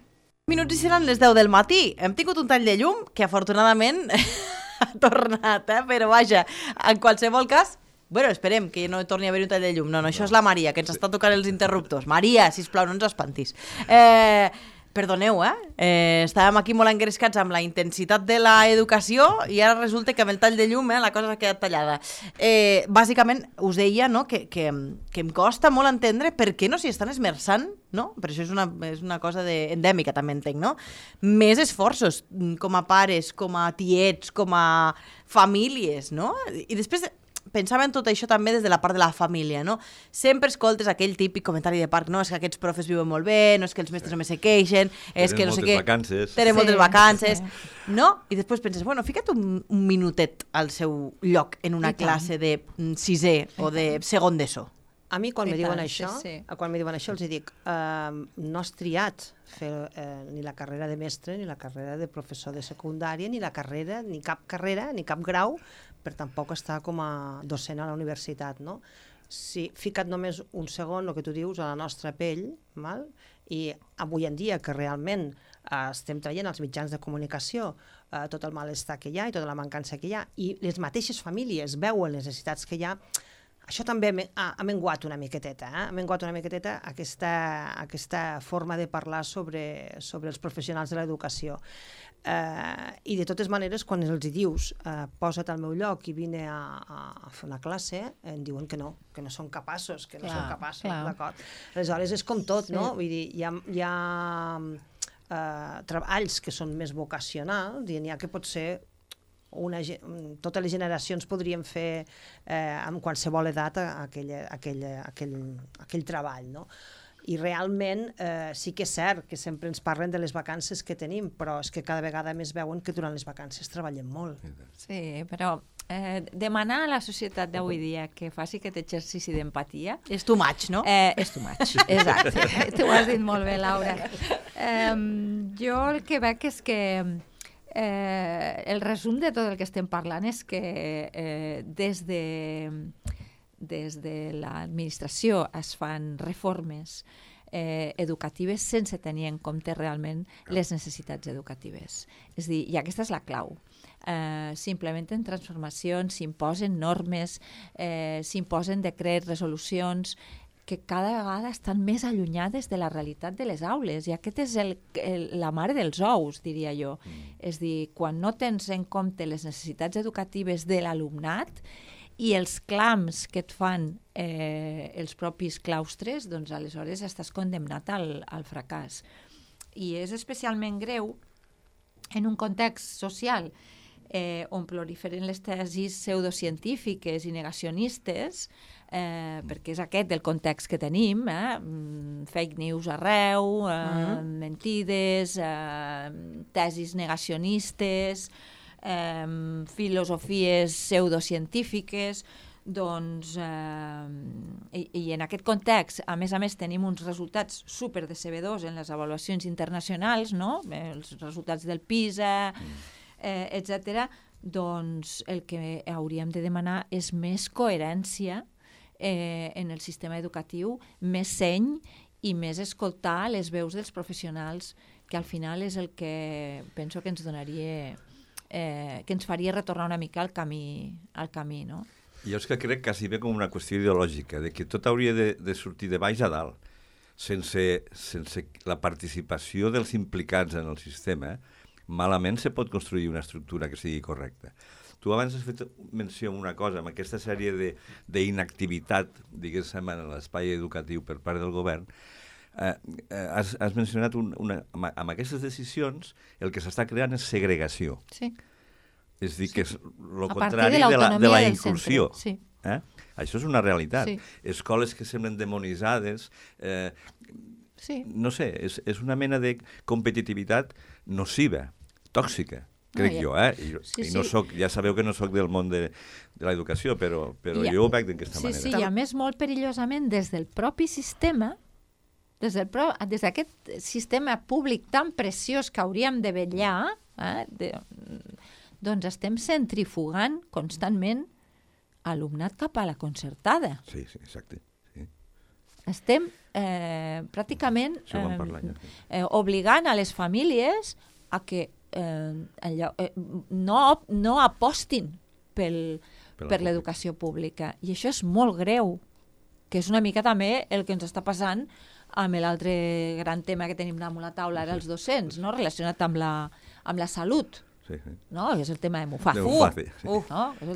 Minuts i seran les 10 del matí. Hem tingut un tall de llum que afortunadament ha tornat, però vaja, en qualsevol cas, bueno, esperem que no torni a haver un tall de llum. No, això és la Maria, que ens està tocant els interruptors. Maria, sisplau, no ens espantis. Perdoneu, estàvem aquí molt engrescats amb la intensitat de l'educació i ara resulta que amb el tall de llum la cosa s'ha quedat tallada. Bàsicament, us deia, no, que em costa molt entendre per què no s'hi estan esmerçant, no? Per això és una cosa endèmica, també entenc, no? Més esforços com a pares, com a tiets, com a famílies, no? I després pensava en tot això també des de la part de la família, no? Sempre escoltes aquell típic comentari de parc, no? És que aquests profes viuen molt bé, no és que els mestres només se queixen, és que no sé què... Tenen moltes vacances, no? I després penses, bueno, fica't un minutet al seu lloc en una classe de sisè o de segon d'ESO. A mi, quan me diuen això, els dic, no has triat fer ni la carrera de mestre, ni la carrera de professor de secundària, ni cap carrera, ni cap grau, per tampoc estar com a docent a la universitat, no? Si fica't només un segon, el que tu dius, a la nostra pell, val? I avui en dia, que realment estem traient als mitjans de comunicació tot el malestar que hi ha i tota la mancança que hi ha, i les mateixes famílies veuen les necessitats que hi ha, això també ha menguat una miqueteta, ha menguat una miqueteta aquesta forma de parlar sobre els professionals de l'educació. I de totes maneres, quan els dius posa't al meu lloc i vine a fer una classe, em diuen que no són capaços, d'acord? Aleshores és com tot, no? Vull dir, hi ha treballs que són més vocacionals i n'hi ha que pot ser totes les generacions podrien fer amb qualsevol edat aquell treball, no? I realment sí que és cert que sempre ens parlen de les vacances que tenim, però és que cada vegada més veuen que durant les vacances treballem molt. Sí, però demanar a la societat d'avui dia que faci aquest exercici d'empatia... És too much, no? És too much, exacte. Tu ho has dit molt bé, Laura. Jo el que veig és que el resum de tot el que estem parlant és que des de l'administració es fan reformes educatives sense tenir en compte realment les necessitats educatives. És a dir, i aquesta és la clau. S'implementen transformacions, s'imposen normes, s'imposen decrets, resolucions que cada vegada estan més allunyades de la realitat de les aules, i aquest és la mare dels ous, diria jo. És dir, quan no tens en compte les necessitats educatives de l'alumnat i els clams que et fan els propis claustres, doncs aleshores estàs condemnat al fracàs. I és especialment greu en un context social on proliferen les tesis pseudocientífiques i negacionistes, perquè és aquest el context que tenim, fake news arreu, mentides, tesis negacionistes, filosofies pseudocientífiques, doncs, i en aquest context, a més tenim uns resultats super decebedors en les avaluacions internacionals, no? Els resultats del PISA, etc. Doncs el que hauríem de demanar és més coherència en el sistema educatiu, més seny i més escoltar les veus dels professionals, que al final és el que penso que ens donaria, que ens faria retornar una mica al camí, no? Jo és que crec quasi bé com una qüestió ideològica, de que tot hauria de sortir de baix a dalt, sense la participació dels implicats en el sistema, malament se pot construir una estructura que sigui correcta. Tu abans has fet menció a una cosa, amb aquesta sèrie d'inactivitat, diguéssim, en l'espai educatiu per part del govern, has mencionat, amb aquestes decisions, el que s'està creant és segregació. Sí. És dir, que és el contrari de la inclusió. Sí. Això és una realitat. Sí. Escoles que semblen demonitzades, no sé, és una mena de competitivitat nociva, tòxica, crec jo, I no soc, ja sabeu que no soc del món de l'educació, però jo ho veig d'aquesta manera. Sí, i a més molt perillosament des del propi sistema, des d'aquest sistema públic tan preciós que hauríem de vetllar, doncs estem centrifugant constantment alumnat cap a la concertada. Sí, exacte. Sí. Estem pràcticament obligant a les famílies a que no apostin per l'educació pública. I això és molt greu, que és una mica també el que ens està passant amb l'altre gran tema que tenim damunt la taula, ara els docents, no? Relacionat amb la salut. No? És el tema de Muface.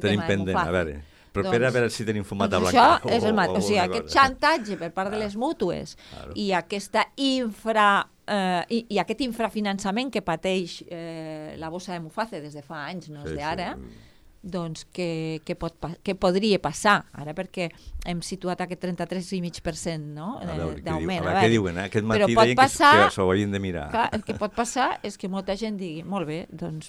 Tenim pendent, a veure. Però a veure si tenim fumat a blancar. Això és el mateix. O sigui, aquest xantatge per part de les mútues i aquest infrafinançament que pateix la bossa de Muface des de fa anys, no és d'ara, doncs què podria passar ara, perquè hem situat aquest 33,5% d'augment. A veure què diuen, aquest matí deien que s'ho haurien de mirar. El que pot passar és que molta gent digui, molt bé, doncs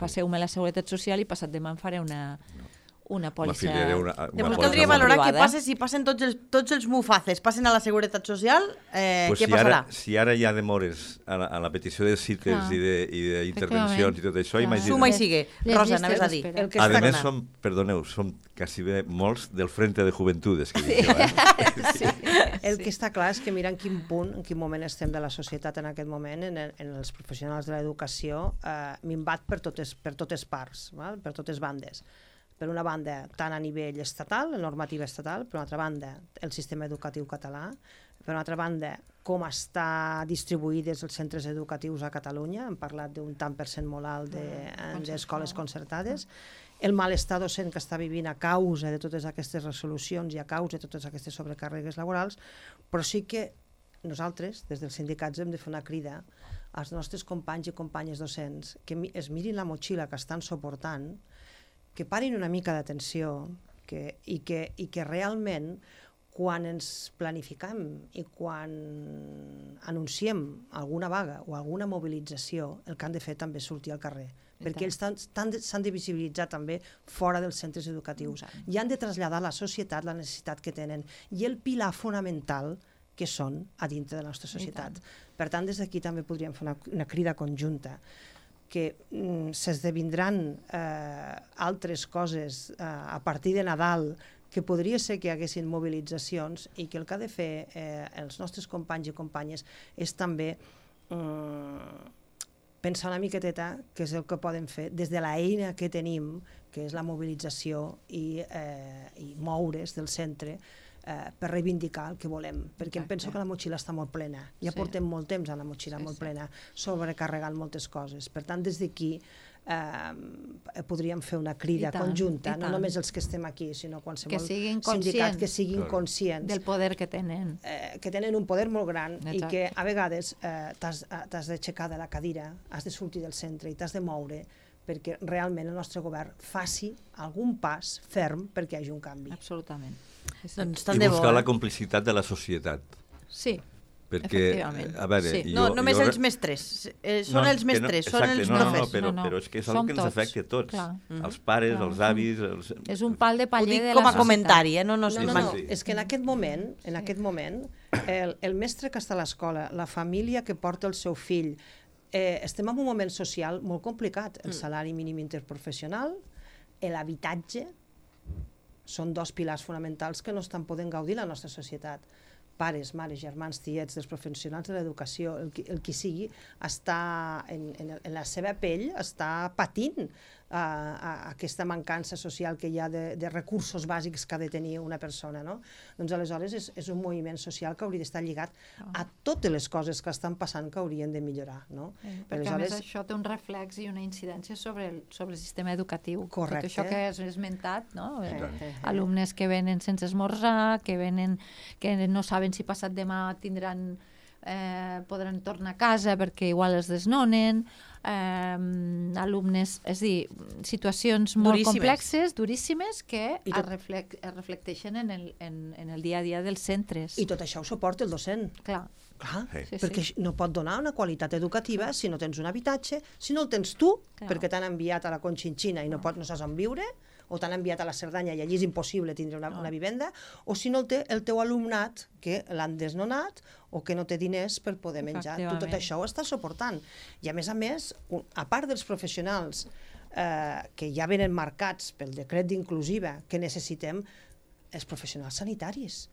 passeu-me la Seguretat Social i passat demà em faré una pòlissa. Llavors caldria valorar què passa si passen tots els Mufaces, passen a la Seguretat Social, què passarà? Si ara hi ha demores a la petició de cites i d'intervencions i tot això, imagina't. Suma i sigue. Rosa, anaves a dir. A més, som quasi bé molts del Frente de Juventudes. El que està clar és que mira en quin moment estem de la societat en aquest moment, en els professionals de l'educació, minvat per totes parts, per totes bandes. Per una banda, tant a nivell estatal, la normativa estatal, per una altra banda, el sistema educatiu català, per una altra banda, com està distribuïts els centres educatius a Catalunya, hem parlat d'un tant per cent molt alt d'escoles concertades, el malestar docent que està vivint a causa de totes aquestes resolucions i a causa de totes aquestes sobrecàrregues laborals, però sí que nosaltres, des dels sindicats, hem de fer una crida als nostres companys i companyes docents que es mirin la motxilla que estan suportant, que parin una mica d'atenció i que realment quan ens planificam i quan anunciem alguna vaga o alguna mobilització, el que han de fer també és sortir al carrer, perquè ells s'han de visibilitzar també fora dels centres educatius i han de traslladar a la societat la necessitat que tenen i el pilar fonamental que són a dintre de la nostra societat. Per tant, des d'aquí també podríem fer una crida conjunta que s'esdevindran altres coses a partir de Nadal, que podria ser que hi haguessin mobilitzacions i que el que ha de fer els nostres companys i companyes és també pensar una miqueteta què és el que poden fer des de l'eina que tenim, que és la mobilització i moure's del centre per reivindicar el que volem, perquè em penso que la motxilla està molt plena, ja portem molt temps amb la motxilla molt plena, sobrecarregant moltes coses, per tant des d'aquí podríem fer una crida conjunta, no només els que estem aquí, sinó qualsevol sindicat que siguin conscients del poder que tenen, un poder molt gran i que a vegades t'has d'aixecar de la cadira, has de sortir del centre i t'has de moure perquè realment el nostre govern faci algun pas ferm perquè hi hagi un canvi. Absolutament. I buscar la complicitat de la societat. Sí, efectivament. A veure, no només els mestres, són els mestres, són els profes. Però és que és el que ens afecta a tots, els pares, els avis... És un pal de paller de la societat. Com a comentari, no, és que en aquest moment, el mestre que està a l'escola, la família que porta el seu fill, estem en un moment social molt complicat. El salari mínim interprofessional, l'habitatge, són dos pilars fonamentals que no estan podent gaudir la nostra societat. Pares, mares, germans, tiets, dels professionals de l'educació, el qui sigui, està en la seva pell, està patint aquesta mancança social que hi ha de recursos bàsics que ha de tenir una persona, no? Doncs aleshores és un moviment social que hauria d'estar lligat a totes les coses que estan passant que haurien de millorar, no? Perquè a més això té un reflex i una incidència sobre el sistema educatiu. Correcte. Tot això que has esmentat, no? Alumnes que venen sense esmorzar, que no saben si passat demà podran tornar a casa perquè igual es desnonen, alumnes, és a dir, situacions molt complexes, duríssimes, que es reflecteixen en el dia a dia dels centres. I tot això ho suporta el docent. Clar, perquè no pot donar una qualitat educativa si no tens un habitatge, si no el tens tu, perquè t'han enviat a la Conchinchina i no saps on viure, o t'han enviat a la Cerdanya i allí és impossible tindre una vivenda, o si no el té el teu alumnat que l'han desnonat o que no té diners per poder menjar. Tot això ho està suportant. I a més, a part dels professionals que ja venen marcats pel decret d'inclusiva que necessitem, els professionals sanitaris.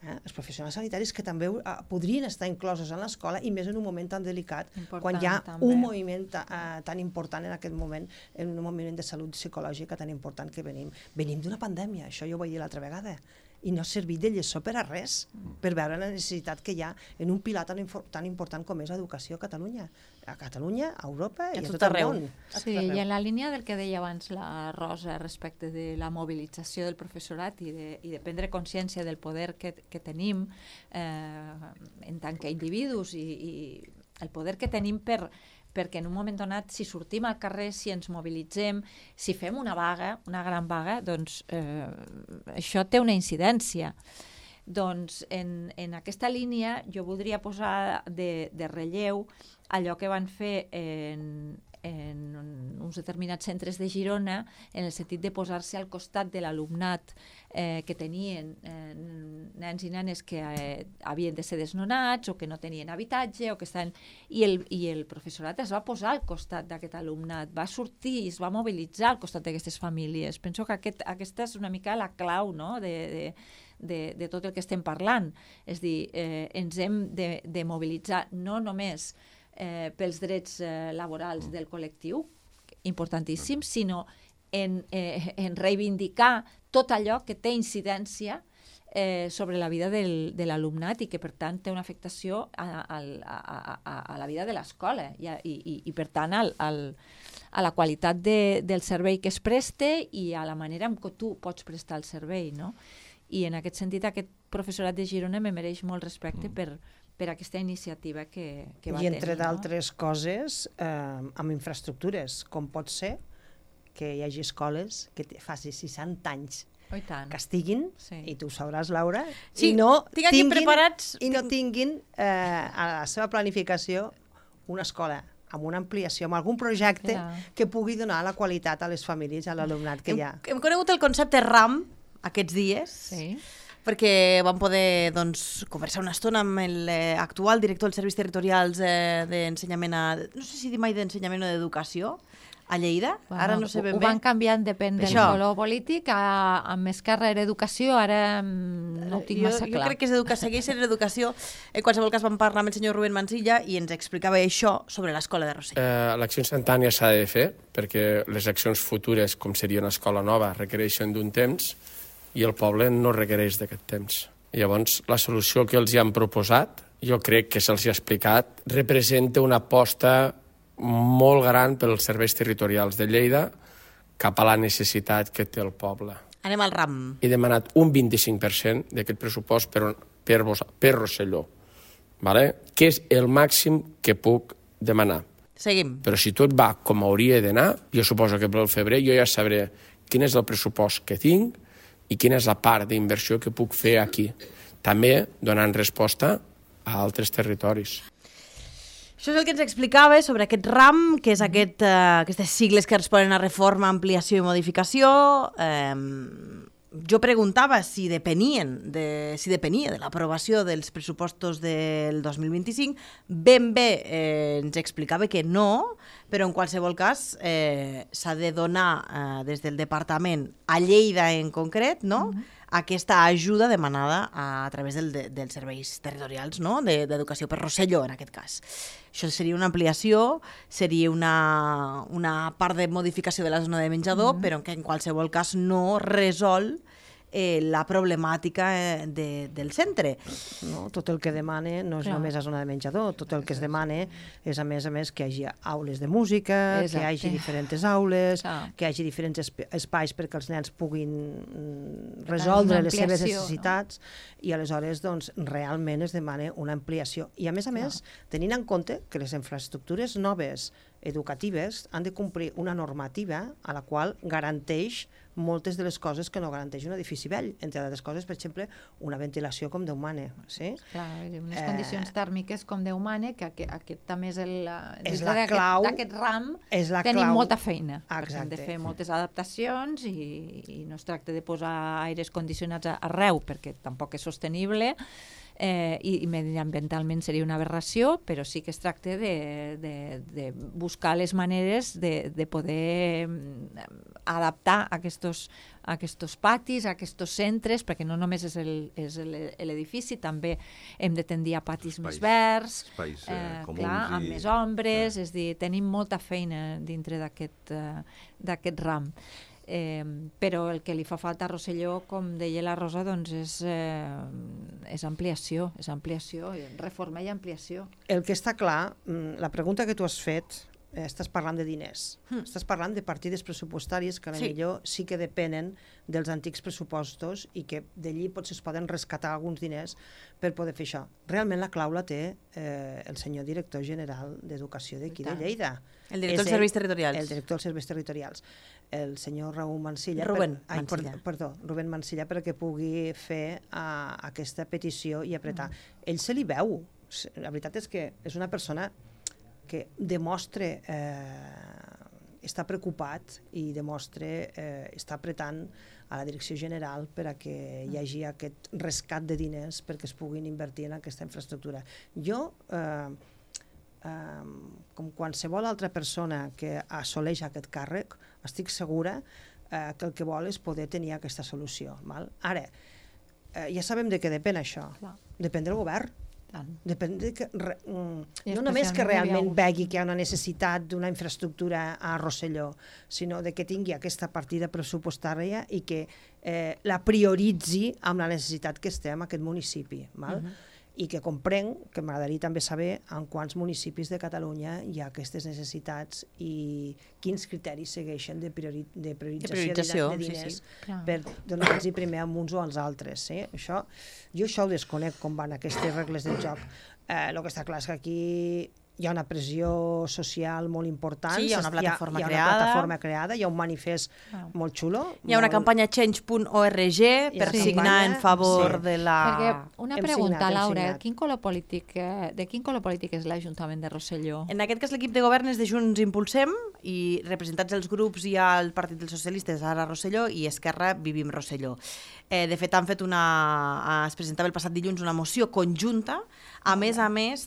Els professionals sanitaris que també podrien estar inclosos en l'escola i més en un moment tan delicat, quan hi ha un moviment tan important en aquest moment, en un moviment de salut psicològica tan important que venim. Venim d'una pandèmia, això jo ho vaig dir l'altra vegada, i no ha servit de lliçó per a res, per veure la necessitat que hi ha en un pilar tan important com és l'educació a Catalunya, a Europa i a tot el món. Sí, i en la línia del que deia abans la Rosa respecte de la mobilització del professorat i de prendre consciència del poder que tenim en tant que individus i el poder que tenim perquè en un moment donat, si sortim al carrer, si ens mobilitzem, si fem una vaga, una gran vaga, doncs això té una incidència. Doncs en aquesta línia jo voldria posar de relleu allò que van fer en uns determinats centres de Girona en el sentit de posar-se al costat de l'alumnat que tenien nens i nenes que havien de ser desnonats o que no tenien habitatge o que estaven... I el professorat es va posar al costat d'aquest alumnat, va sortir i es va mobilitzar al costat d'aquestes famílies. Penso que aquesta és una mica la clau, no?, de tot el que estem parlant. És dir, ens hem de mobilitzar no només pels drets laborals del col·lectiu, importantíssim, sinó en reivindicar tot allò que té incidència sobre la vida de l'alumnat i que, per tant, té una afectació a la vida de l'escola i per tant, a la qualitat del servei que es preste i a la manera en què tu pots prestar el servei, no? I en aquest sentit, aquest professorat de Girona me mereix molt respecte per aquesta iniciativa que va tenir. I entre d'altres coses, amb infraestructures, com pot ser que hi hagi escoles que faci 60 anys que estiguin, i tu ho sabràs, Laura, i no tinguin a la seva planificació una escola amb una ampliació, amb algun projecte que pugui donar la qualitat a les famílies, a l'alumnat que hi ha. Hem conegut el concepte RAM aquests dies, perquè vam poder conversar una estona amb l'actual director dels serveis territorials d'ensenyament, no sé si dir mai d'ensenyament o d'educació, a Lleida, ara no sé ben bé. Ho van canviant, depèn del color polític, amb Esquerra era educació, ara no ho tinc massa clar. Jo crec que segueix sent educació. En qualsevol cas vam parlar amb el senyor Rubén Mansilla i ens explicava això sobre l'escola de Rossell. L'acció instantània s'ha de fer, perquè les accions futures, com seria una escola nova, requereixen d'un temps i el poble no requereix d'aquest temps. Llavors, la solució que els hi han proposat, jo crec que se'ls ha explicat, representa una aposta molt gran pels serveis territorials de Lleida cap a la necessitat que té el poble. Anem al RAM. He demanat un 25% d'aquest pressupost per Rosselló, que és el màxim que puc demanar. Seguim. Però si tot va com hauria d'anar, jo suposo que pel febrer jo ja sabré quin és el pressupost que tinc i quina és la part d'inversió que puc fer aquí. També donant resposta a altres territoris. Això és el que ens explicava sobre aquest RAM, que és aquestes sigles que responen a reforma, ampliació i modificació. Jo preguntava si depenia de l'aprovació dels pressupostos del 2025. Ben bé ens explicava que no, però en qualsevol cas s'ha de donar des del departament a Lleida en concret, no?, aquesta ajuda demanada a través dels serveis territorials, no?, d'educació per Rosselló, en aquest cas. Això seria una ampliació, seria una part de modificació de la zona de menjador, però que en qualsevol cas no resol la problemàtica del centre. No, tot el que demana no és només la zona de menjador, tot el que es demana és, a més, que hi hagi aules de música, que hi hagi diferents aules, que hi hagi diferents espais perquè els nens puguin resoldre les seves necessitats, i aleshores realment es demana una ampliació. I a més, tenint en compte que les infraestructures noves educatives han de complir una normativa a la qual garanteix moltes de les coses que no garanteix un edifici vell, entre altres coses, per exemple, una ventilació com Déu mana. Clar, unes condicions tèrmiques com Déu mana, que aquest també és la clau d'aquest RAM, tenim molta feina. Hem de fer moltes adaptacions i no es tracta de posar aires condicionats arreu, perquè tampoc és sostenible, i mediambientalment seria una aberració, però sí que es tracta de buscar les maneres de poder adaptar aquests patis, aquests centres, perquè no només és l'edifici, també hem de tendir a patis més verds, amb més ombres, és a dir, tenim molta feina dintre d'aquest ram. Però el que li fa falta a Rosselló, com deia la Rosa, doncs és ampliació, reforma i ampliació. El que està clar, la pregunta que tu has fet, estàs parlant de diners, estàs parlant de partides pressupostàries que potser sí que depenen dels antics pressupostos i que d'allí potser es poden rescatar alguns diners per poder fer això. Realment la clau la té el senyor director general d'Educació d'aquí de Lleida. El director dels serveis territorials. El director dels serveis territorials. El senyor Raúl Mansilla. Rubén Mansilla. Perdó, Rubén Mansilla, perquè pugui fer aquesta petició i apretar. Ell se li veu. La veritat és que és una persona que demostra està preocupat i demostra està apretant a la direcció general per a que hi hagi aquest rescat de diners perquè es puguin invertir en aquesta infraestructura. Jo, com qualsevol altra persona que assoleix aquest càrrec, estic segura que el que vol és poder tenir aquesta solució. Ara, ja sabem de què depèn això. Depèn del govern. Depèn de que, no només que realment vegi que hi ha una necessitat d'una infraestructura a Rosselló, sinó de que tingui aquesta partida pressupostària i que la prioritzi amb la necessitat que esté en aquest municipi. I que comprenc, que m'agradaria també saber en quants municipis de Catalunya hi ha aquestes necessitats i quins criteris segueixen de priorització de diners per donar-los primer a uns o als altres. Jo això ho desconec, com van aquestes regles del joc. El que està clar és que aquí hi ha una pressió social molt important. Sí, hi ha una plataforma creada, hi ha un manifest molt xulo. Hi ha una campanya change.org per signar en favor de la... Perquè una pregunta, Laura, de quin color polític és l'Ajuntament de Rosselló? En aquest cas l'equip de govern és de Junts Impulsem i representats els grups hi ha el Partit dels Socialistes, ara Rosselló, i Esquerra Vivim Rosselló. De fet, es presentava el passat dilluns una moció conjunta, a més,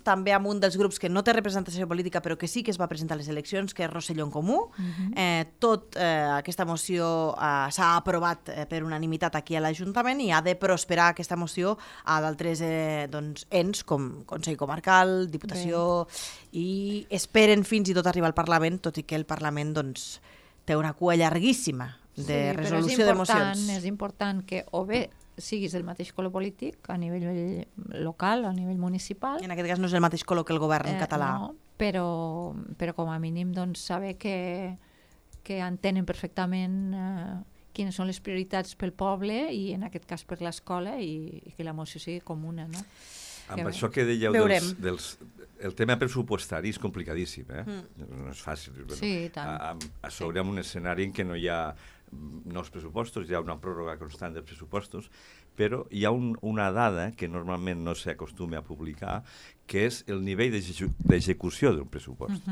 també amb un dels grups que no té representació política però que sí que es va presentar a les eleccions, que és Rosselló en Comú. Aquesta moció s'ha aprovat per unanimitat aquí a l'Ajuntament i ha de prosperar aquesta moció a d'altres ens com Consell Comarcal, Diputació, i esperen fins i tot arribar al Parlament, tot i que el Parlament té una cua llarguíssima de resolució de mocions. És important que o bé siguis el mateix color polític a nivell local, a nivell municipal. En aquest cas no és el mateix color que el govern català. No, però com a mínim saber que entenen perfectament quines són les prioritats pel poble i en aquest cas per l'escola i que la moció sigui comuna. No? Amb això que dèieu el tema pressupostari és complicadíssim, no és fàcil. Sí, tant. A sobre en un escenari en què no hi ha nous pressupostos, hi ha una pròrroga constant dels pressupostos, però hi ha una dada que normalment no s'acostuma a publicar, que és el nivell d'execució d'un pressupost.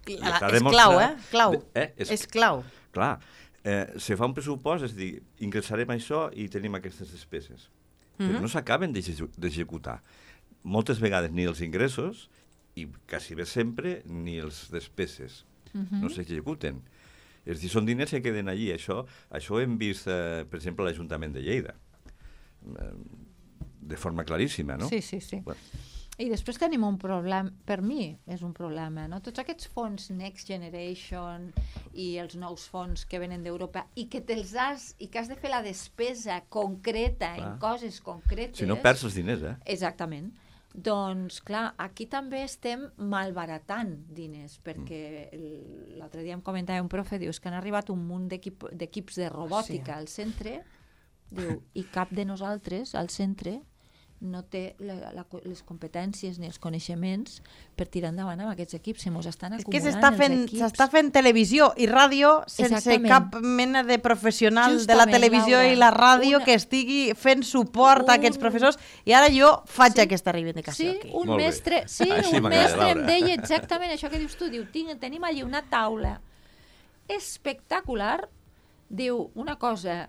És clau, Clau. És clau. Clar, se fa un pressupost, és dir, ingressarem això i tenim aquestes despeses, però no s'acaben d'executar. Moltes vegades ni els ingressos i quasi bé sempre ni els despeses no s'executen. És dir, són diners que queden allí. Això ho hem vist, per exemple, a l'Ajuntament de Lleida, de forma claríssima, no? Sí. Bueno. I després tenim un problema, per mi és un problema, no? Tots aquests fons Next Generation i els nous fons que venen d'Europa i que has de fer la despesa concreta en coses concretes... Si no perds els diners, Exactament. Doncs, clar, aquí també estem malbaratant diners, perquè l'altre dia em comentava un profe, dius que han arribat un munt d'equips de robòtica al centre, diu, i cap de nosaltres al centre no té les competències ni els coneixements per tirar endavant amb aquests equips, se mos estan acumulant els equips. S'està fent televisió i ràdio sense cap mena de professional de la televisió i la ràdio que estigui fent suport a aquests professors, i ara jo faig aquesta reivindicació aquí. Un mestre em deia exactament això que dius tu, diu, tenim allí una taula espectacular, diu una cosa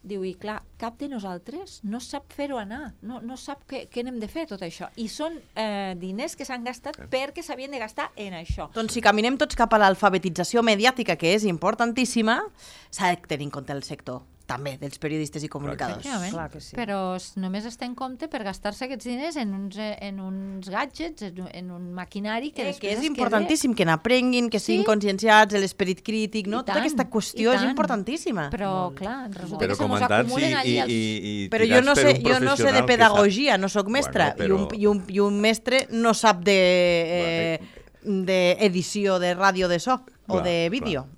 Diu, i clar, cap de nosaltres no sap fer-ho anar, no sap què n'hem de fer tot això. I són diners que s'han gastat perquè s'havien de gastar en això. Doncs si caminem tots cap a l'alfabetització mediàtica, que és importantíssima, s'ha de tenir en compte el sector també dels periodistes i comunicadors. Clar que sí. Però només es té en compte per gastar-se aquests diners en uns gadgets, en un maquinari que després és importantíssim que n'aprenguin, que siguin conscienciats, l'esperit crític, no? Tota aquesta qüestió és importantíssima. Però, clar, resulta que se mos acumulen allí els... Però jo no sé de pedagogia, no sóc mestra, i un mestre no sap d'edició de ràdio de so o de vídeo.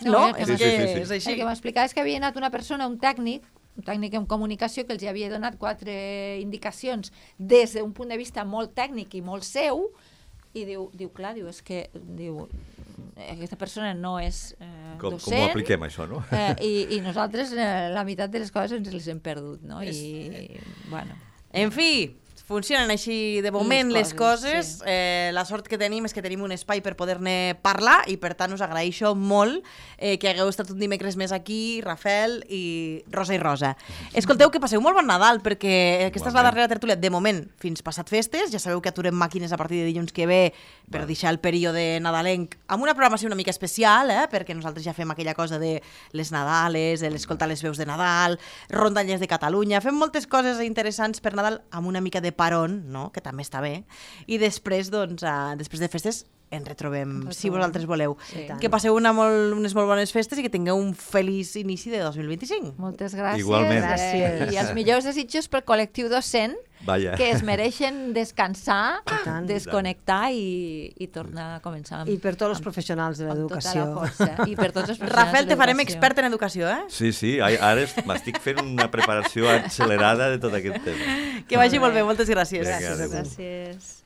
No? És així. El que m'explicava és que havia anat una persona, un tècnic en comunicació, que els havia donat 4 indicacions des d'un punt de vista molt tècnic i molt seu, i diu, és que aquesta persona no és docent. Com ho apliquem, això, no? I nosaltres la meitat de les coses ens les hem perdut, no? I, bueno... En fi, funcionen així de moment les coses. La sort que tenim és que tenim un espai per poder-ne parlar i per tant us agraeixo molt que hagueu estat un dimecres més aquí, Rafael i Rosa i Rosa. Escolteu, que passeu molt bon Nadal, perquè aquesta és la darrera tertúlia de moment fins passat festes. Ja sabeu que aturem màquines a partir de dilluns que ve per deixar el període nadalenc amb una programació una mica especial, perquè nosaltres ja fem aquella cosa de les Nadales, de l'escoltar les veus de Nadal, rondalles de Catalunya, fem moltes coses interessants per Nadal amb una mica de parón, no? Que també està bé, i després, doncs, després de festes ens retrobem, si vosaltres voleu. Sí, que passeu unes molt bones festes i que tingueu un feliç inici de 2025. Moltes gràcies. Igualment. Gràcies. I els millors desitjos pel col·lectiu docent, que es mereixen descansar, desconnectar i tornar a començar. I per tots els professionals de l'educació. I per tots els professionals. Rafael, te farem expert en educació, eh? Sí, ara m'estic fent una preparació accelerada de tot aquest tema. Que vagi molt bé, moltes gràcies. Gràcies. Gràcies.